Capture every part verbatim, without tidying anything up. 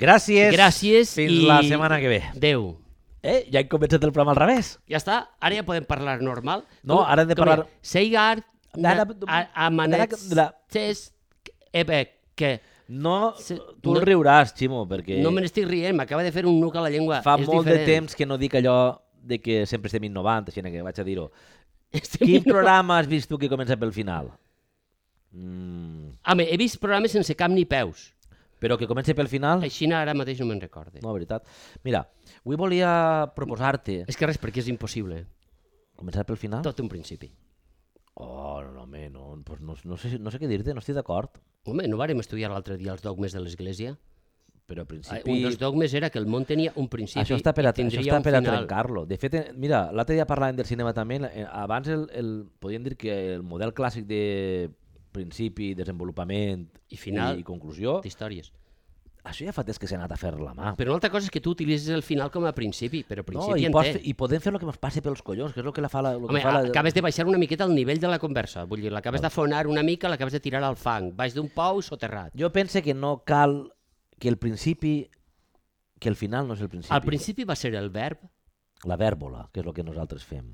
Gràcies. Gràcies Fins i... la setmana que ve. Adéu. Eh, ja hem començat el programa al revés. Ja està, ara ja podem parlar normal. No, ara hem de parlar... Seigar, Ara- amanets, ara- ses, ebe, que... No, Se- tu no- el riuràs, Ximo, perquè No me n'estic rient, m'acaba de fer un nuc a la llengua. fa és molt diferent. de temps que no dic allò de que sempre estem innovant, així que vaig a dir-ho. Estem Quin innovant. programa has vist tu que comença pel final? Mm, Home, he vist programes sense cap ni peus. però que comença pel final? Així ara mateix no me'n recorde. No, veritat. Mira, avui volia proposar-te És que res, perquè és impossible. començar pel final. Tot un principi. Oh, no, home, no, pues no, no, sé, no sé què dir-te, no estic d'acord. Home, no vàrem estudiar l'altre dia els dogmes de l'Església? Però al Ah, principi... Un dels dogmes era que el món tenia un principi Això està per a, i tindria això està un per a final. trencar-lo. De fet, eh, mira, l'altre dia parlàvem del cinema també. eh, Abans el, el, podríem dir que el model clàssic de principi, desenvolupament I final. i, i conclusió, D'històries. això ja fa temps que s'ha anat a fer la mà. Però una altra cosa és que tu utilitzes el final com a principi, però No, principi i, en pots, té. fer- I podem fer el que ens passi pels collons, que és el que la fa la... Lo que Home, fa la... acabes de baixar una miqueta el nivell de la conversa. Vull dir, l'acabes d'afonar una mica, l'acabes de tirar al fang. Baix d'un pou soterrat. Jo pense que no cal que el principi... que el final no és el principi. Al principi va ser el verb, La vèrbola, que és el que nosaltres fem.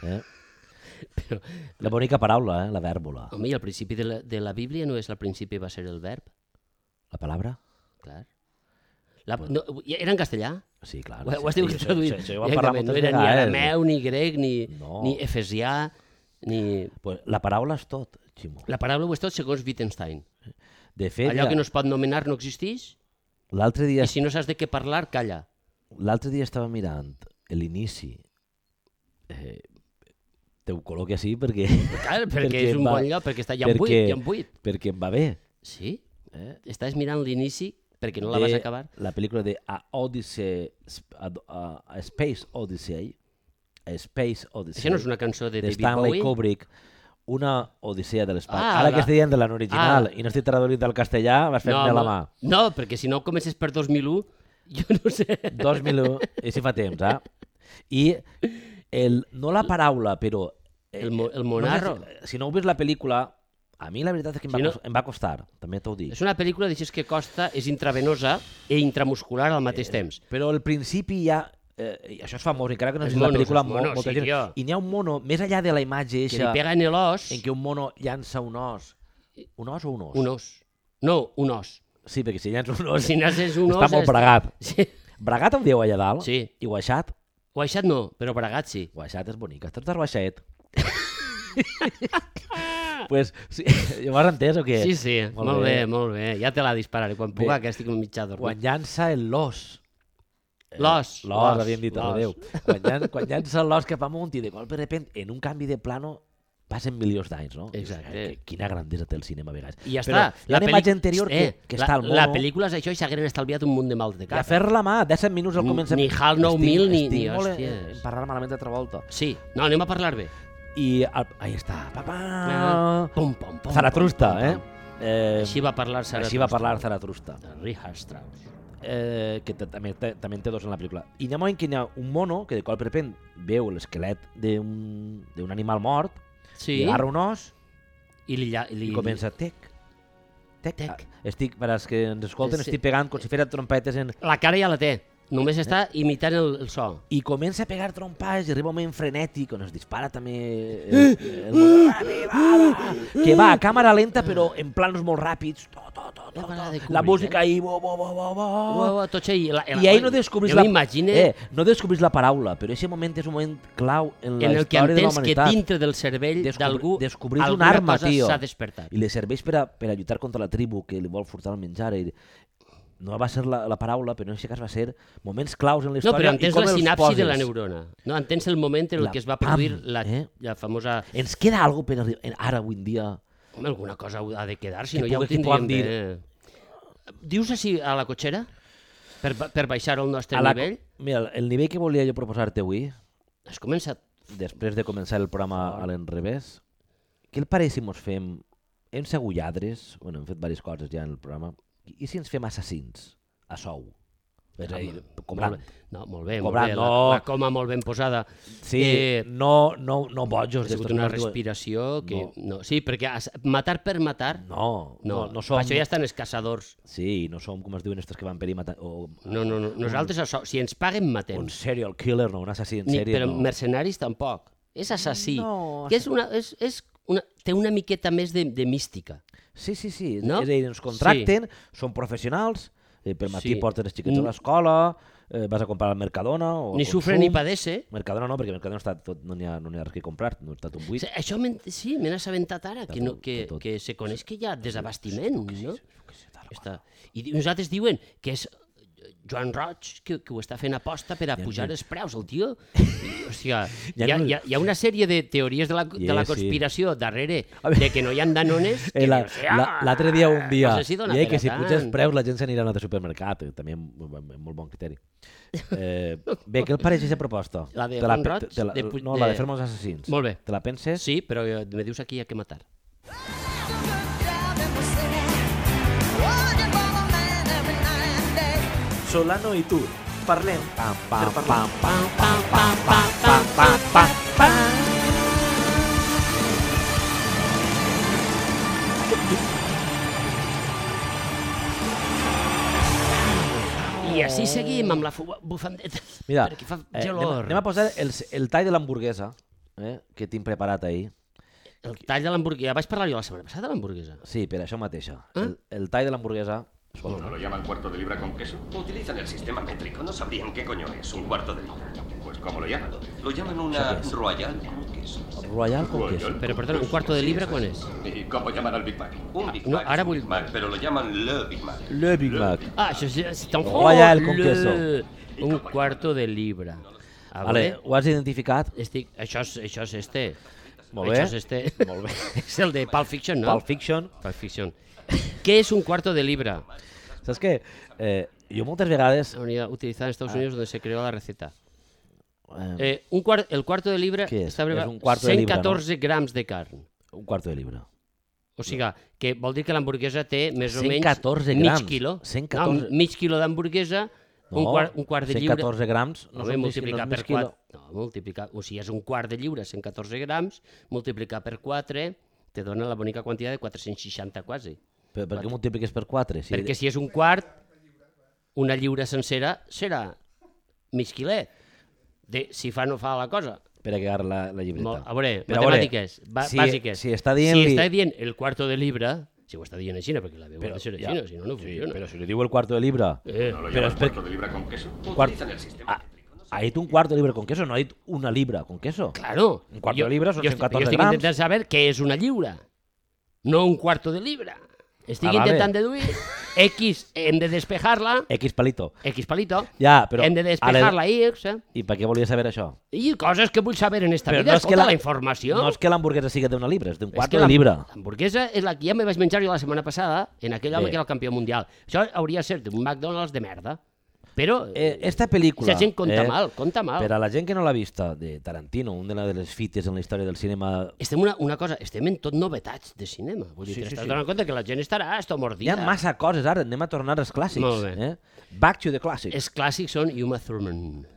Eh? però, La bonica paraula, eh? La vèrbola. home, i al principi de la, de la Bíblia no és al principi va ser el verb? La palabra? Clar. La, no, era en castellà? Sí, clar. Ho, ho has sí, dit sí, traduït. sí, sí, ho vam parlar Directament, no moltes era ni vegades. arameu, ni grec, ni, No. ni efesià, ni... Pues la paraula és tot, Ximo. La paraula ho és tot segons Wittgenstein. De fet, Allò ja, que no es pot nomenar no existeix, l'altre dia, i si no saps de què parlar, calla. l'altre dia estava mirant l'inici. Eh, te ho col·loqui així perquè, Clar, perquè, Perquè és un va- bon lloc, perquè està ja en buit, perquè- ja en buit. perquè em va bé. Sí? Eh? Estàs mirant l'inici perquè no la De vas acabar? La pel·lícula de A Odyssey, a, a, a Space Odyssey, a Space Odyssey, Això no és una cançó de de David Stanley Bowie? Kubrick, una odissea de l'espai. Ah, Ara la- que estic dient de l'original Ah. i no estic traduït al castellà, vas fer-me la mà. no, perquè si no comences per dos mil u, jo no sé. dos mil u, i si fa temps, eh? I el, no la paraula, però... eh, El mo- el no monarro. sé si, si no heu vist la pel·lícula, a mi la veritat és que em va, Si no- cos- em va costar, també t'ho dic. És una pel·lícula d'això que costa, és intravenosa i intramuscular al mateix temps. Però al principi ja... Eh, això és famós, encara que no Els és la monos, pel·lícula, els monos, molt, molta sí, gent. tio. I n'hi ha un mono, més enllà de la imatge Que li eixa, pega en l'os, en què un mono llança un os. Un os o un os? un os. No, un os. Sí, perquè si llança un os... Si naces un os... està molt és- bragat. Sí. Bragat em dieu allà dalt? Sí. I guaixat? Guaixat no, però bragat sí. Guaixat és bonic. Estàs de guaixet? pues, sí, llavors entès o què? Sí, sí, molt, bé. molt bé. Ja te la dispararé quan puga, que estic mitjà dormit. Quan llança el l'os. Eh, L'os, L'os, l'os, havíem dit, l'os. adéu. Quan, llan, quan llança l'os cap amunt i de cop de repent, en un canvi de plano, passen milions d'anys, no? Exacte. Eh, Quina grandesa té el cinema a vegades. I ja Però està. hi ha una pel·li- imatge anterior que, eh, que la, està al mono. La pel·lícula és això i s'hagueren estalviat un munt de mal de I cap. a fer la mà, disset minuts al Ni- començament. ni HAL nou mil ni- estic ni molt en, hòsties. en parlar malament altra volta. Sí, no, anem a parlar bé. I al, ahí està. Pa, pa. Ah, Pum, pum, pum, Zaratrusta, pum, eh? pum, pum. eh? Així va parlar Zaratrusta. Així va parlar Zaratrusta. De Richard Strauss. Eh, que t- també, té- també en té dos en la pel·lícula. I hi ha un moment que hi ha un mono que de cop de repent veu l'esquelet d'un d'un animal mort, Sí, li agarra un os i li, lla- li, i comença tec, tec. Tec. Ah, estic, per als que ens escolten, Sí. estic pegant com si fera trompetes en... La cara ja la té, només està imitant el, el so. I comença a pegar trompades i arriba un moment frenètic on es dispara també el, el, mono, que va a càmera lenta però en planos molt ràpids, to, to, to, to, La de to. Kubrick, la música eh? ahí, bo, bo, bo, bo, bo. Uau, uau, tots ahí, la, la, I ahí no descobrís jo la... m'imagine Eh, no descobrís la paraula, però aquest moment és un moment clau en la en el que història de la entens que humanitat. dintre del cervell Descobri- d'algú descobrís un alguna arma, cosa tio. s'ha despertat. I li serveix per a, per a lluitar contra la tribu que li vol furtar el menjar. I no va ser la, la paraula, però en aquest cas va ser moments claus en la No, història. però i entens com la els sinapsi poses. de la neurona. No, entens el moment en el La que es va pam, produir la, eh? la famosa... Ens queda alguna per arribar, ara avui en dia... Home, alguna cosa ha de quedar, si Que no ja ho pugui- que tindríem puguem dir. bé. Dius així a la cotxera? Per, ba- per baixar el nostre A la, nivell? mira, el nivell que volia jo proposar-te avui, Has començat... després de començar el programa a l'enrevés, què el pareix si mos fem... Hem segut lladres, bueno, hem fet diverses coses ja en el programa, i si ens fem assassins, a sou? És a dir, Molt cobrant. bé. No, molt bé, molt Cobrant, bé. La, no. la coma molt ben posada. Sí, Eh, no, no, no bojos. ha sigut d'estos una que diuen- respiració que... No. Sí, perquè as- matar per matar... No, no, No, no som... per això ja estan els caçadors. Sí, no som, com es diuen, estos que van per ahí matar... O... No, no, no. Nosaltres, això, si ens paguen, matem. Un serial killer, no, un assassí en Ni, sèrie, però no. mercenaris tampoc. És assassí. No, que és una, és, és una, té una miqueta més de, de mística. Sí, sí, sí. No? És a dir, ens contracten, són professionals, eh, per matí Sí. porten els xiquets a l'escola, eh, vas a comprar al Mercadona o Ni al sufre Consum. ni padece. Mercadona no, perquè Mercadona està tot, no n'hi ha, no n'hi ha res que comprar, no està tot buit. Sí, això m'he- sí, me n'he assabentat ara, que, no, tot, que, tot. que se coneix que hi ha desabastiment, no? Sí, tal, Està. I di- nosaltres diuen que és Joan Roig que, que ho està fent aposta per a pujar els preus, el tio. O sigui, hi, Ja ha, no- hi, ha, hi ha una sèrie de teories de la, de la Yeah, sí. conspiració darrere A veure. de que no hi ha danones que Eh, la- dius, la- L'altre dia, un dia, no sé si dona deia per que a si tant. puja els preus la gent s'anirà a un altre supermercat, eh, també amb, amb, amb molt bon criteri. Eh, bé, què et pareix aquesta proposta? La de Te Juan pe- Roig? te la, De pu- no, la de de- fer els assassins. Molt bé. Te la penses? Sí, però eh, me dius aquí a què matar. Solano i tu, parlem. Pam, pam, Per pam, parlar. pam, pam, pam, pam, pam, pam, pam, pam. I així seguim amb la fu- bufandeta, Mira, perquè fa eh, anem, gelor. anem a posar el, el tall de l'hamburguesa eh, que tinc preparat ahir. El tall de l'hamburguesa. Vaig parlar jo la setmana passada de l'hamburguesa. Sí, per això mateixa. Ah? El, el tall de l'hamburguesa... ¿No lo llaman cuarto de libra con queso? Utilizan el sistema métrico, no sabrían qué coño es un cuarto de libra. Pues ¿cómo lo llaman? Lo llaman una royal con queso. Royal con Royal. queso. Però, perdona, un quarto de libra quan és? ¿Y cómo llaman al Big Mac? Un Big no, Mac ara es un vull- Big Mac, pero lo llaman le Big Mac. Le Big Mac. Ah, això és, c'est en Royal con Le- queso. Un quarto de libra. A Vale, veure, ho has identificat? estic, això, és, això és este. Molt bé. Això és este. Molt bé. És el de Pulp Fiction, no? Pulp Fiction. Pulp Fiction. Què és un quarto de libra? Saps què? Eh, jo moltes vegades... La unidad utilizada en Estados Unidos donde se creó la receta. Eh, Eh, un cuar el cuarto de libra Què és? està preparat És un quarto de libra, cent catorze grams de carn. un quarto de libra. O sigui, que vol dir que l'hamburguesa té més o cent menys catorze mig grams. quilo. cent catorze. No, mig quilo d'hamburguesa, un, No, quart, un quart de lliure. cent catorze grams no No, són multiplicar mig, per mig quilo. quatre. No, multiplicar, o sigui, és un quart de lliure, cent catorze grams, multiplicar per quatre, te dona la bonica quantitat de quatre-cents seixanta quasi. Per, per què multipliques per quatre? Si Perquè si és un quart, una lliura sencera serà mig quilet. De, si fa no fa la cosa. Espera que agarra la, la llibreta. Molt, a veure, Però a veure, matemàtiques, ba si- bàsiques. si està dient-li- Si està dient el quarto de libra, si ho està dient així, perquè la veu Però ha de ser ja- així, si no, no Sí, funciona. però si li diu el cuarto de libra... Eh, ¿No lo Pero llaman es per- cuarto de libra con queso? Quart- Utilizan el sistema Ah, métrico. ha dit un cuarto de libra con queso, no ha dit una libra con queso. Claro. Un quarto de libra són jo, cent catorze jo estic grams. intentant saber què és una lliura, no un quarto de libra. Estic Ah, vale. intentant deduir X, hem de despejar-la, X palito. X palito, Ja, però... hem de despejar-la X, eh? I per què volia saber això? I coses que vull saber en esta Però vida, no és que escolta la- la informació. No és que l'hamburguesa sigui d'una libra, és d'un És quarto que de la- libra. L'hamburguesa és la que ja me vaig menjar jo la setmana passada en aquell home Bé. que era el campió mundial. Això hauria de ser d'un McDonald's de merda. Però Eh, esta pel·lícula... la gent compta mal, compta mal. Per a la gent que no l'ha vista, de Tarantino, una de les fites en la història del cinema... Estem una, una cosa, estem en tot novetats de cinema. Vull dir, Sí, sí, sí, t'estàs sí. donant compte que la gent estarà esto Hi mordida. ha massa coses ara, anem a tornar als clàssics. Molt bé. Eh? Back to the classics. Els clàssics són Uma Thurman.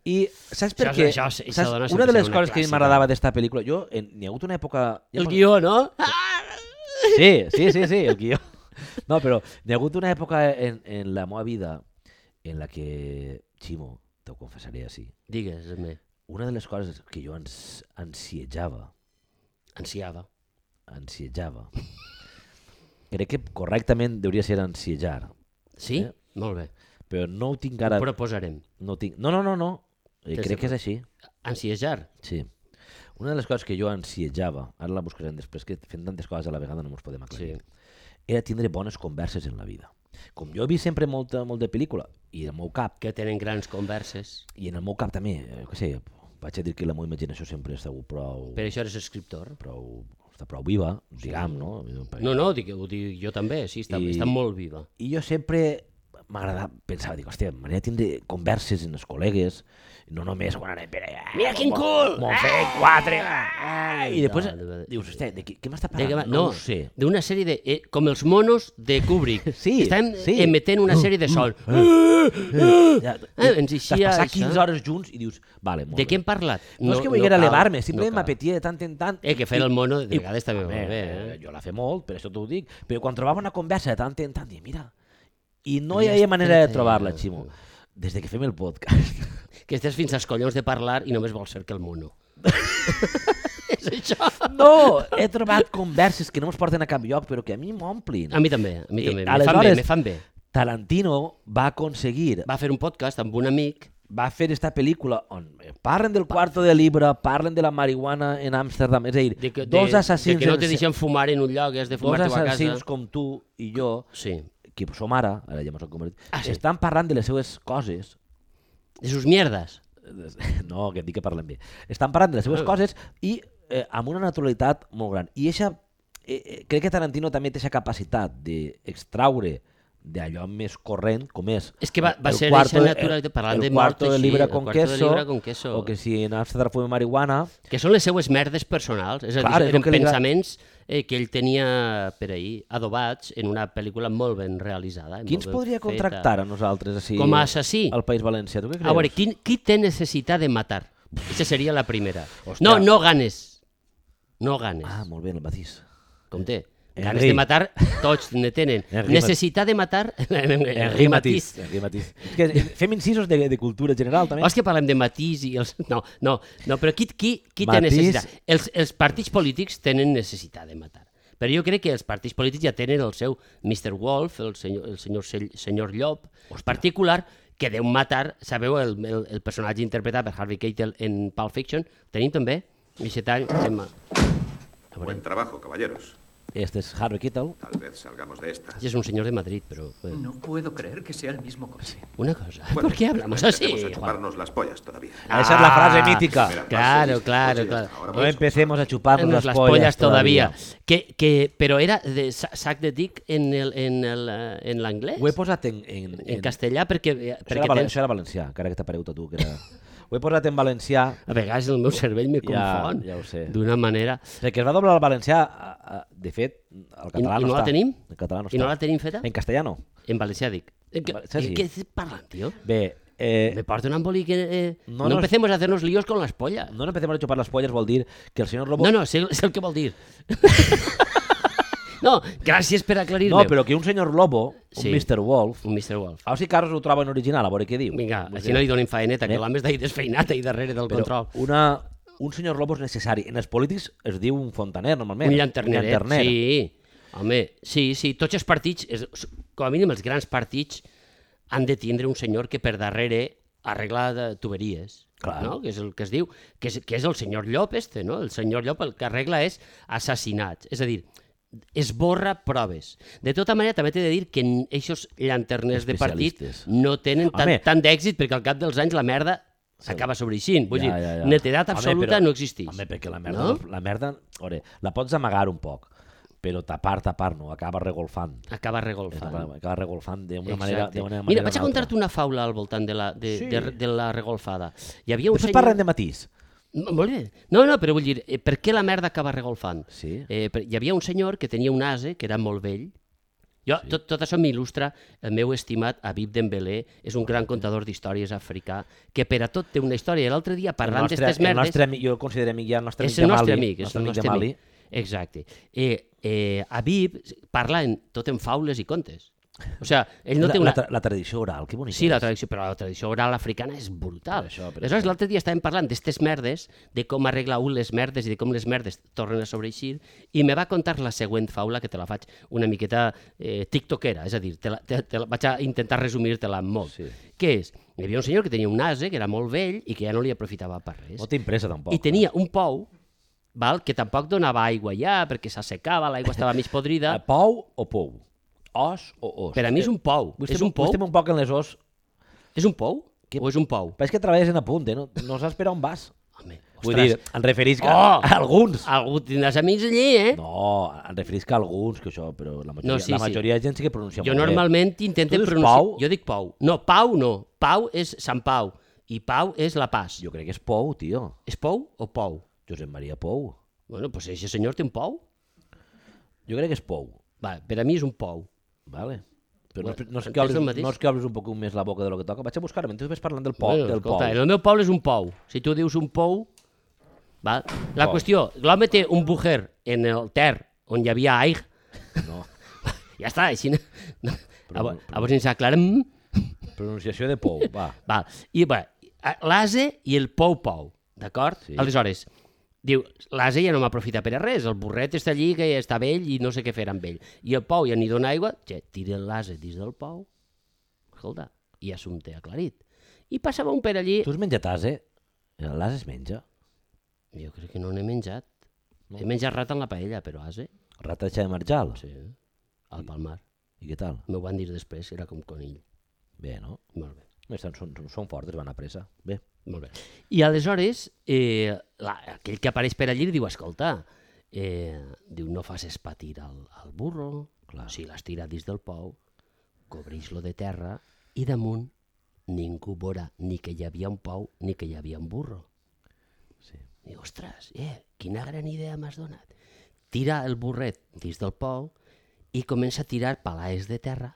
I saps per Això- què? això- això Saps? dona Una sempre de les ser una coses que a mi clàssica. m'agradava d'esta pel·lícula, jo, en, n'hi ha hagut una època... ja El fa- guió, no? Sí, sí, sí, sí, el guió. No, però n'hi ha hagut una època en, en la meva vida en la que, Ximo, t'ho confessaré així, Digues-me, una de les coses que jo ans, ansiejava, ansiava. ansiejava, crec que correctament hauria ser ansiejar, Sí? Eh? Molt bé. però no ho tinc ara... Ho proposarem. No, ho tinc... no, no, no, no. Eh, Des crec de- que és així. Ansiejar. Sí. Una de les coses que jo ansiejava, ara la buscarem després, que fent tantes coses a la vegada no ens podem aclarir, Sí. era tindre bones converses en la vida. Com jo he vist sempre molta, molt de pel·lícula, i en el meu cap, Que tenen grans converses. i en el meu cap també, eh, què sé, vaig a dir que la meva imaginació sempre està prou, Per això eres escriptor. prou, està prou viva, diguem, no? No, no, dic, ho dic jo també, sí, està, I- està molt viva. I jo sempre m'agradava, pensava, dic, hòstia, m'agradaria tindre converses amb els col·legues, no només quan anem per allà. Mira quin cul! M'ho fet quatre! Ai, I després no, no, no. dius, hòstia, de què, què m'està De que va- parlant? no, ho sé. d'una sèrie de... Eh, com els monos de Kubrick. Sí, Estem sí. emetent una sèrie de sons. Ja, Eh, ens eixia T'has passat això. quinze hores junts i dius, vale, molt De què bé. hem parlat? No, és que volguera cal, elevar-me, no simplement cal. m'apetia de tant en tant. Eh, que fer el mono de I- vegades també va Home, molt bé, eh, eh? Jo la fe molt, per això t'ho dic. Però quan trobava una conversa de tant en tant, dic, mira, i no hi Ja havia està, manera de ja. trobar-la, Ximo. Des de que fem el podcast. Que estàs fins als collons de parlar i només vols ser que el mono. És això. No, he trobat converses que no ens porten a cap lloc, però que a mi m'omplin. A mi també, a mi I també. Me fan aleshores- bé, me fan bé. Tarantino va aconseguir, Va fer un podcast amb un amic. va fer esta pel·lícula on parlen del quarto de Libra, parlen de la marihuana en Amsterdam, és a dir, De que, dos de, assassins, de que no te en- deixen fumar en un lloc, has de dos fumar-te a casa. assassins com tu i jo, Sí. que som ara, ara ja mos hem convertit, Ah, sí. estan parlant de les seues coses. De sus mierdes. No, que et dic que parlem bé. Estan parlant de les seves Ah. coses i eh, amb una naturalitat molt gran. I eixa, eh, eh, crec que Tarantino també té aquesta capacitat d'extraure d'allò més corrent, com és... És que va, va el ser cuarto eixa de- naturalitat, parlant el de mort cuarto de així, Libra el con cuarto de queso, Libra con queso. o que si en Amsterdam fue marihuana... Que són les seues merdes personals, és a dir, Clar, és el eren que li gra- pensaments eh, que ell tenia per ahir adobats en una pel·lícula molt ben realitzada. i Qui ens molt ben podria feta. contractar a nosaltres així, Com a assassí? al País Valencià? Tu què creus? A veure, qui, qui té necessitat de matar? Aquesta seria la primera. Hòstia. No, no ganes. No ganes. Ah, molt bé, el matís. Com té? Henry. Ganes de matar, tots ne tenen. Henry Necessitat de matar... Henri Matís. Henri Matís. És que fem incisos de, de cultura general, també. Oh, és que parlem de matís i els... No, no, no però qui, qui, qui té Matís. necessitat? Els, els partits polítics tenen necessitat de matar. Però jo crec que els partits polítics ja tenen el seu mister Wolf, el senyor, el senyor, senyor Llop, particular, que deu matar, sabeu, el, el, el personatge interpretat per Harvey Keitel en Pulp Fiction, tenim també, aquest any, tema. Buen trabajo, caballeros. Este es Harvey Keitel. Tal vez salgamos de esta. És un senyor de Madrid, però... eh, No puedo creer que sea el mismo coche. Una cosa, Bueno, ¿por qué hablamos no así? empecemos a Juan? chuparnos las pollas todavía. Ah, esa es la frase mítica. Mira, Claro, pases, claro, coches, claro. ahora No vamos. empecemos a chuparnos Nos las, pollas, todavía. todavía. Que, que, però era de sa- sac de dic en el- en el, eh, en l'anglès? Ho he posat en... En, En castellà, perquè, eh, Això perquè era, valen, tens... això era valencià, encara que t'ha paregut a tu. Que era... Ho he posat en valencià, A vegades el meu cervell me Ja- confon ja ho sé. d'una manera... perquè es va doblar al valencià, a- a- de fet, al català I no no la està. tenim? En català no I no està. la tenim feta? En castellà no. En valencià dic. Eh, que- valencià sí. eh, Què estàs parlant, tio? Bé, eh, Me porta un embolic... Eh, No, no, no, no empecemos a hacernos líos con las pollas. no empecemos a chupar las pollas vol dir que el senyor Lobo... No, no, sé, sé el que vol dir. No, gràcies per aclarir-me. no, però que un senyor Lobo, un Sí. mister Wolf... Un mister Wolf. A veure si Carlos ho troba en original, a veure què diu. Vinga, Vull així dir, no li donin faeneta, que Eh? l'home està ahí desfeinat ahí darrere del però control. una, un senyor Lobo és necessari. En els polítics es diu un fontaner, normalment. Un llanterneret, llanterner. sí. Home, sí, sí, tots els partits, és, com a mínim els grans partits, han de tindre un senyor que per darrere arregla de tuberies, Clar. no? Que és el que es diu, que és, que és el senyor Llop este, no? El senyor Llop el que arregla és assassinats, és a dir, esborra proves. De tota manera, també t'he de dir que aquests llanterners de partit Especialistes. no tenen tant, Home. tant d'èxit perquè al cap dels anys la merda s'acaba sobreixint. Vull dir, netedat Home, absoluta però- no existeix. Home, perquè la merda, No? la merda ore, la pots amagar un poc, però tapar, tapar no, acaba regolfant. Acaba regolfant. Acaba, acaba regolfant d'una manera, Exacte. d'una manera Mira, vaig o a una altra. contar-te una faula al voltant de la, de, Sí. de, de la regolfada. Hi havia un Després senyor... parlem de matís. No, molt bé. No, no, però vull dir, eh, per què la merda acaba regolfant? Sí. Eh, per- hi havia un senyor que tenia un ase, que era molt vell. Jo, sí. tot, tot això m'il·lustra el meu estimat Habib Dembélé, és un gran contador d'històries africà, que per a tot té una història. I l'altre dia, El parlant nostre, d'estes el merdes... nostre amic, jo el considero amic ja el nostre és amic el nostre Jamali, amic, és el nostre Jamali. amic. Exacte. Eh, eh, Habib parla en, tot en faules i contes. O sigui, ell no la, té una... la, tra- la tradició oral, que bonica Sí, la és. tradició, però la tradició oral africana és brutal. Per això, per Aleshores, això. l'altre dia estàvem parlant d'estes merdes, de com arregla un les merdes i de com les merdes tornen a sobreeixir, i me va contar la següent faula, que te la faig una miqueta eh, tiktokera, és a dir, te la, te, te la, vaig a intentar resumir-te-la molt. Sí. Què és? Hi havia un senyor que tenia un ase, que era molt vell i que ja no li aprofitava per res. No tinc pressa, tampoc. I tenia un pou, val, que tampoc donava aigua ja, perquè s'assecava, l'aigua estava mig podrida. Eh, Pou o pou? Os o os? Per a mi és un pou. Vull És estem, un pou? Estem un poc en les os. És un pou? Que- O és un pou? Però és que treballes en apunt, eh? No, no saps per on vas. Home, Vull dir, em referís que Oh! a alguns. Algú tindràs amics allí, eh? No, em referís que a alguns, que això, però la majoria, No, sí, la sí. majoria de gent sí que pronuncia Jo molt normalment bé. intento Tu dius pronunciar... Pau? Jo dic Pau. No, Pau no. Pau és Sant Pau i Pau és La Paz. Jo crec que és Pou, tio. És Pou o Pou? Josep Maria Pou. Bueno, pues ese senyor té un Pou. Jo crec que és Pou. Va, per a mi és un Pou. Vale. Però no, Bueno, no, és que entens obres, el mateix? no és que obres un poc més la boca de lo que toca. Vaig a buscar, mentre tu ves parlant del Pou. Bueno, del escolta, Pou. el meu poble és un Pou. Si tu dius un Pou... Va. La Pou. qüestió, l'home té un bujer en el Ter on hi havia aigua. No. Ja està, així... No, no. Però- A veure si ens aclarem. Pronunciació de Pou, va. Va. I va, l'ase i el Pou-Pou, d'acord? Sí. Aleshores, diu, l'ase ja no m'aprofita per a res, el burret està allí que està vell i no sé què fer amb ell. I el Pou ja n'hi dona aigua, ja, tira l'ase dins del Pou, escolta, i assumpte aclarit. I passava un per allí... Tu has menjat ase? L'ase es menja? Jo crec que no n'he menjat. No. He menjat rat en la paella, però ase, Ratatxa de marjal? sí, al Palmar. I què tal? M'ho van dir després, era com conill. Bé, no? Molt bé. Estan, són, són fortes, van a pressa. Bé. Molt bé. I aleshores, eh, la, aquell que apareix per allí li diu, escolta, eh, diu, no facis patir al, al burro, Clar. si l'has tirat dins del pou, cobreix-lo de terra i damunt ningú veurà ni que hi havia un pou ni que hi havia un burro. Sí. Diu, ostres, eh, quina gran idea m'has donat. Tira el burret dins del pou i comença a tirar palaes de terra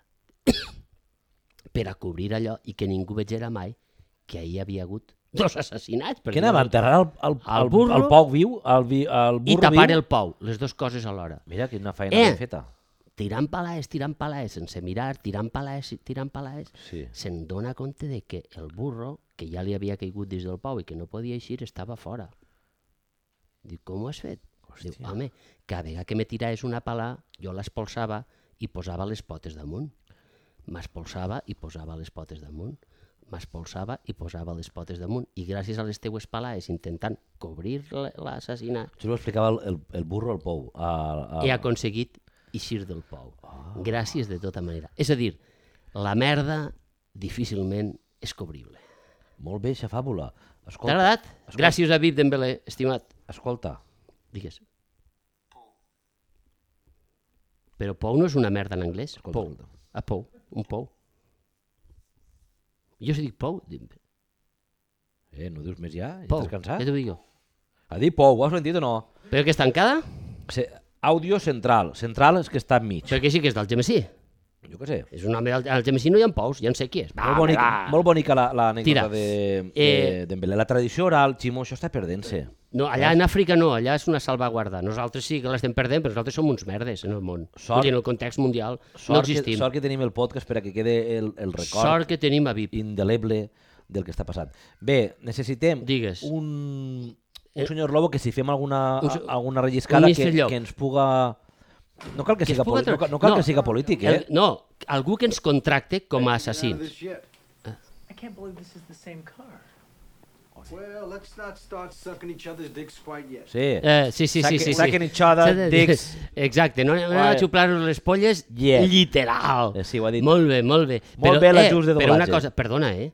per a cobrir allò i que ningú vegera mai que ahir hi havia hagut dos assassinats. Què anava? Enterrar el, el, El el, burro el Pou viu? El, vi, el i burro tapar viu? el pou, les dues coses alhora. Mira, quina feina Eh! ben feta. Tirant palaes, tirant palaes, sense mirar, tirant palaes, tirant palaes, Sí. se'n dona compte de que el burro, que ja li havia caigut dins del pou i que no podia eixir, estava fora. Diu, com ho has fet? Diu, home, cada vegada que me tiraves una pala, jo l'espolsava i posava les potes damunt. M'espolsava i posava les potes damunt. M'espolsava i posava les potes damunt. I gràcies a les teues palaes, intentant cobrir l- l'assassinat, Això ho explicava el, el, el burro al Pou. A, a... he aconseguit eixir del pou. Gràcies de tota manera. És a dir, la merda difícilment és cobrible. Molt bé, aquesta fàbula. T'ha Escolta, agradat? escolta. Gràcies a Vip Dembélé, estimat. escolta. Digues. Però pou no és una merda en anglès? Escolta, Pou. escolta. A pou. Un pou. Jo si dic pou, dic Eh, no dius més ja? Ja pou. estàs cansat? Ja t'ho dic jo. A dir Pou, ho has sentit o no? Però que és tancada? Se, àudio central. Central és que està enmig. Però que sí que és del Gemesí. Jo què sé. És un home del, al Gemesí no hi ha pous, ja en sé qui és. Va, Molt bonica, va. molt bonica la- Tira. l'anècdota de, de, Eh, Dembélé. La tradició oral, Ximo, això està perdent-se. No, allà en Àfrica no, allà és una salvaguarda. Nosaltres sí que l'estem perdent, però nosaltres som uns merdes en el món. Sort- Vull dir, en el context mundial no Sort, que, existim. sort que tenim el podcast per a que quede el, el record Sort que tenim a Vip. indeleble del que està passant. Bé, necessitem Digues. un, un senyor Lobo que si fem alguna, Un se- alguna relliscada un que, mister Llop. que ens puga... No cal que, Que es siga, puga poli- no, tra- cal- no cal no. que siga polític, eh? El, no, algú que ens contracte com a assassins. I can't believe this is the same car. Well, let's not start sucking each other's dicks quite yet. Sí. Eh, sí, sí, sí, sí, sí. Saquen each other, dicks. Exacte, no, no Vale. a xuplar les polles, Yeah. literal. Eh, sí, ho ha dit. Molt bé, molt bé. Molt bé l'ajust de Però una doblatge. cosa, perdona, eh?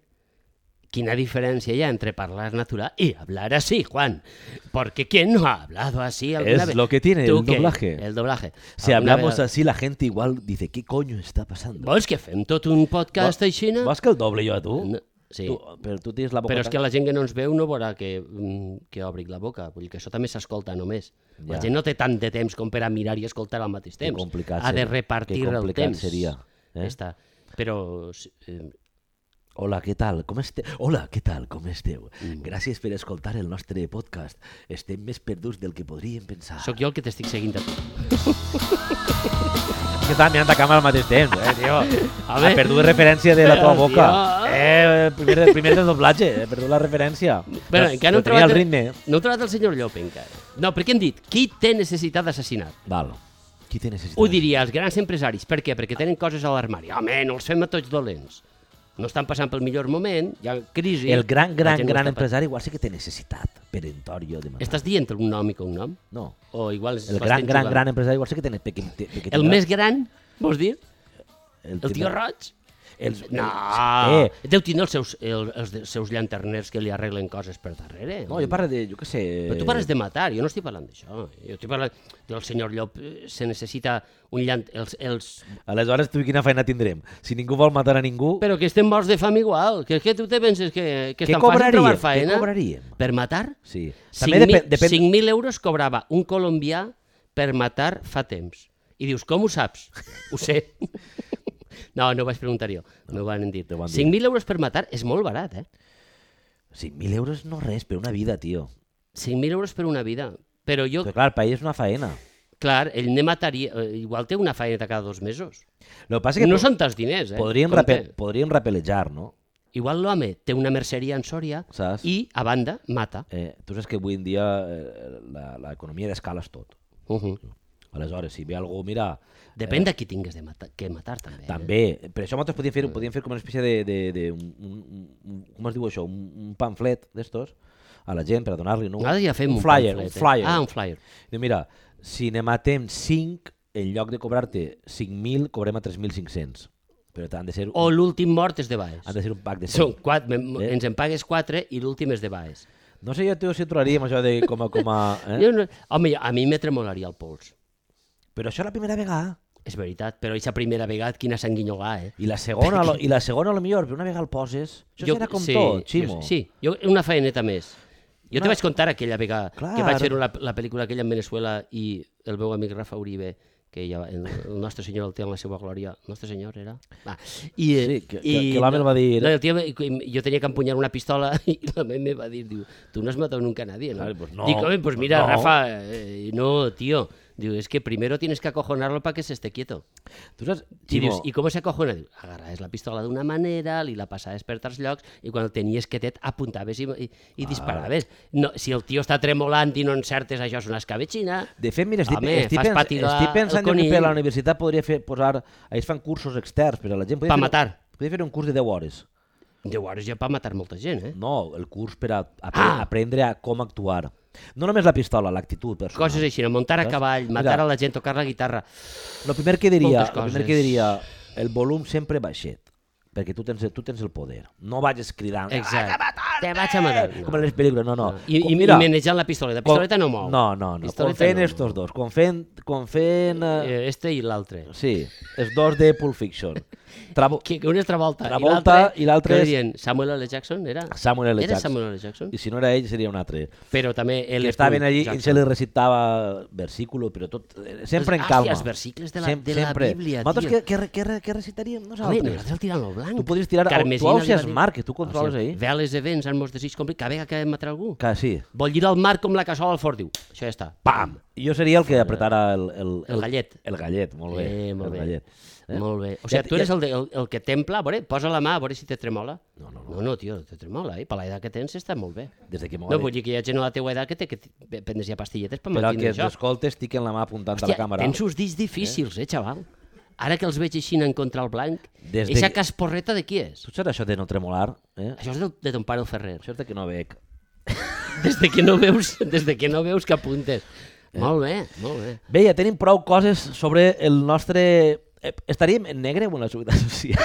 Quina diferencia hay entre hablar natural y hablar así, Juan. Porque ¿quién no ha hablado así alguna Es vez? lo que tiene ¿Tú el qué? doblaje. El doblaje. Si Alguna hablamos vegada- así, la gente igual dice, ¿qué coño está pasando? Vols que fem tot un podcast Vo- així? Vols que el doble jo a tu? No, sí. Tu, però tu tens la boca... Però és tan- que la gent que no ens veu no veurà que, mm, que obric la boca. Vull dir que això també s'escolta només. La Ja. gent no té tant de temps com per a mirar i escoltar al mateix Que temps. complicat Ha de seria. repartir Que el complicat temps. seria, eh? Ja està. Però eh, Hola, què tal? Com esteu? Hola, què tal? Com esteu? Mm. Gràcies per escoltar el nostre podcast. Estem més perduts del que podríem pensar. sóc jo el que t'estic seguint a tu. que estàvem mirant a càmera al mateix temps, eh, tio? Home. Ha perdut referència de la teva Tio. boca. Eh, primer, primer de doblatge, he perdut la referència. Però encara no Però he tenia trobat el ritme. No he trobat el senyor Llop encara. No, perquè hem dit, qui té necessitat d'assassinat? Val. Qui té necessitat? Ho diria els grans empresaris. Per què? Perquè tenen coses a l'armari. Home, no els fem a tots dolents. No estan passant pel millor moment, hi ha crisi. El gran, la gran, gent no gran està pa- empresari igual sí que té necessitat peremptòria de matar. Estàs dient un nom i cognom? No. O igual és El l'estem gran, gran, jugant. gran empresari igual sí que té... Que, que, que El tindrà- més gran, vols dir? el El tio tindrà- roig? Els, No, eh, deu tindre els seus, el, els, de- seus llanterners que li arreglen coses per darrere. no, jo parlo de, jo què sé... Però tu parles de matar, jo no estic parlant d'això. Jo estic parlant del senyor Llop, eh, se necessita un llant... Els, els... Aleshores, tu quina feina tindrem? Si ningú vol matar a ningú... Però que estem morts de fam igual, que, que tu te penses que, que és Què tan fàcil cobraríem? trobar Què faena? cobraríem? Per matar? Sí. També depèn... depèn... cinc mil euros cobrava un colombià per matar fa temps. I dius, com ho saps? Ho sé. No, no ho vaig preguntar jo, no, m'ho van dir. van dir. cinc mil euros per matar és molt barat, eh? cinc mil euros no res per una vida, tio. cinc mil euros per una vida. Però jo, Però clar, per ell és una faena. clar, ell ne mataria... eh, Igual té una faena cada dos mesos. El que passa és que No po- són tants diners, eh? podríem, Compte. rape... podríem rapelejar, no? Igual l'home té una merceria en Sòria Saps? i, a banda, mata. Eh, tu saps que avui en dia eh, la- l'economia d'escala és tot. Uh -huh. Aleshores, si ve algú, mira... Depèn de qui tingues de matar, que matar, també. Eh? També, per això nosaltres podíem fer, podíem fer com una espècie de, de, de un, un, un, com es diu això, un, un pamflet d'estos a la gent per a donar-li, no? Nosaltres ja fem un, flyer, pamflet, un flyer. Eh? Ah, un flyer. Diu, mira, si ne matem cinc, en lloc de cobrar-te cinc mil, cobrem a tres mil cinc-cents. Però han de ser O un, l'últim mort és de Baes. han de ser un pack de Són cinc. quatre, Eh? ens en pagues quatre i l'últim és de Baes. No sé jo tio, si trobaríem això de com a... Com a eh? Jo no, home, a mi me tremolaria el pols. Però això la primera vegada. És veritat, però aquesta primera vegada, quina sanguinyolà, eh? I la segona, lo, i la segona a lo millor, però una vegada el poses... Això serà com tot, Ximo. Jo, sí, jo, una faeneta més. Jo Una- te vaig contar aquella vegada Clar. que vaig fer la, la pel·lícula aquella en Venezuela i el meu amic Rafa Uribe, que ja, el, el nostre senyor el té en la seva glòria. El nostre senyor era? Va. I, eh, Sí, que- que- i, que l'home el va dir- No, el tio, jo tenia que empunyar una pistola i l'home me va dir, diu, tu no has matado nunca a nadie, ¿no? Claro, pues no, Dic, home, pues mira, no. Rafa, eh, no, tío. Diu, es que primero tienes que acojonarlo para que se esté quieto. Tu saps, I Ximo, dius, i com se acojona? Diu, agarraves la pistola d'una manera, li la passaves per tals llocs i quan el tenies quietet apuntaves i, i, i disparaves. No, si el tio està tremolant i no encertes, això és una escabetxina. de fet, mira, estic, Home, estic, fas pens, patigar estic pensant el jo que per conill. la universitat podria fer, posar... Ells fan cursos externs per a la gent. Podria Pa fer- matar. Podria fer un curs de deu hores. Deu hores ja per matar molta gent, eh? No, el curs per a, a Ah. aprendre a com actuar. No només la pistola, l'actitud personal. Coses així, no? Muntar a Saps? cavall, matar Mira. a la gent, tocar la guitarra. El primer que diria, Moltes el primer coses. que diria, el volum sempre baixet, perquè tu tens, tu tens el poder. No vagis cridant, Exacte. "Te vaig a matar!" Te vaig a matar. No. Com en les pel·lícules, no, no. I, Com, i, mira, i manejant la pistoleta. La com- pistoleta no mou. No, no, no. Com Pistoleta fent no estos mou. dos, com fent, com fent eh, Eh, Este i l'altre. sí, els dos de Pulp Fiction. Trabo, Que, que un és Travolta. Travolta i l'altre què és- dirien? Samuel L. Jackson, era? Samuel L. Era Jackson. Samuel L. Jackson? I si no era ell, seria un altre. Però també L. Que estaven allí i Jackson. se li recitava versículo, però tot, eh, sempre en Els- calma. ah, els versicles de la- Sem- de la sempre. Bíblia, Nosaltres tio. què, què, què, què recitaríem Home, nosaltres? nosaltres el tirant al blanc. Tu podries tirar... Carmesina tu li hausies va dir- mar, que tu controles O sigui, ahí. Veles, events, han mos decidit complir, cada vegada que matar algú. Que sí. Vol girar el mar com la cassola al fort, diu. Això ja està. Pam! Jo seria el que apretara el... El, El gallet. El gallet, molt bé. Eh, molt el bé. gallet. Eh? Molt bé. O sigui, Ja- tu eres ja- el, de, el, el que templa, a veure, posa la mà, a veure si te tremola. No, no, No, no, tio, te tremola, eh? Per l'edat que tens està molt bé. Des de que m'ho No, vull dir que hi ha gent a la teua edat que té que prendre's ja pastilletes per Però que mantindre els això. escoltes estic en la mà apuntant a Hòstia, la càmera. tens uns dits difícils, eh, xaval? Ara que els veig així en contra el blanc, Des de eixa que- casporreta de qui és? Tu saps això de no tremolar? Eh? Això és de, de ton pare el Ferrer. Això és de que no bec. Des de que no veus, des de que no veus que apuntes. Molt bé, molt bé. Bé, ja tenim prou coses sobre el nostre... Eh, estaríem en negre o en la seguretat social?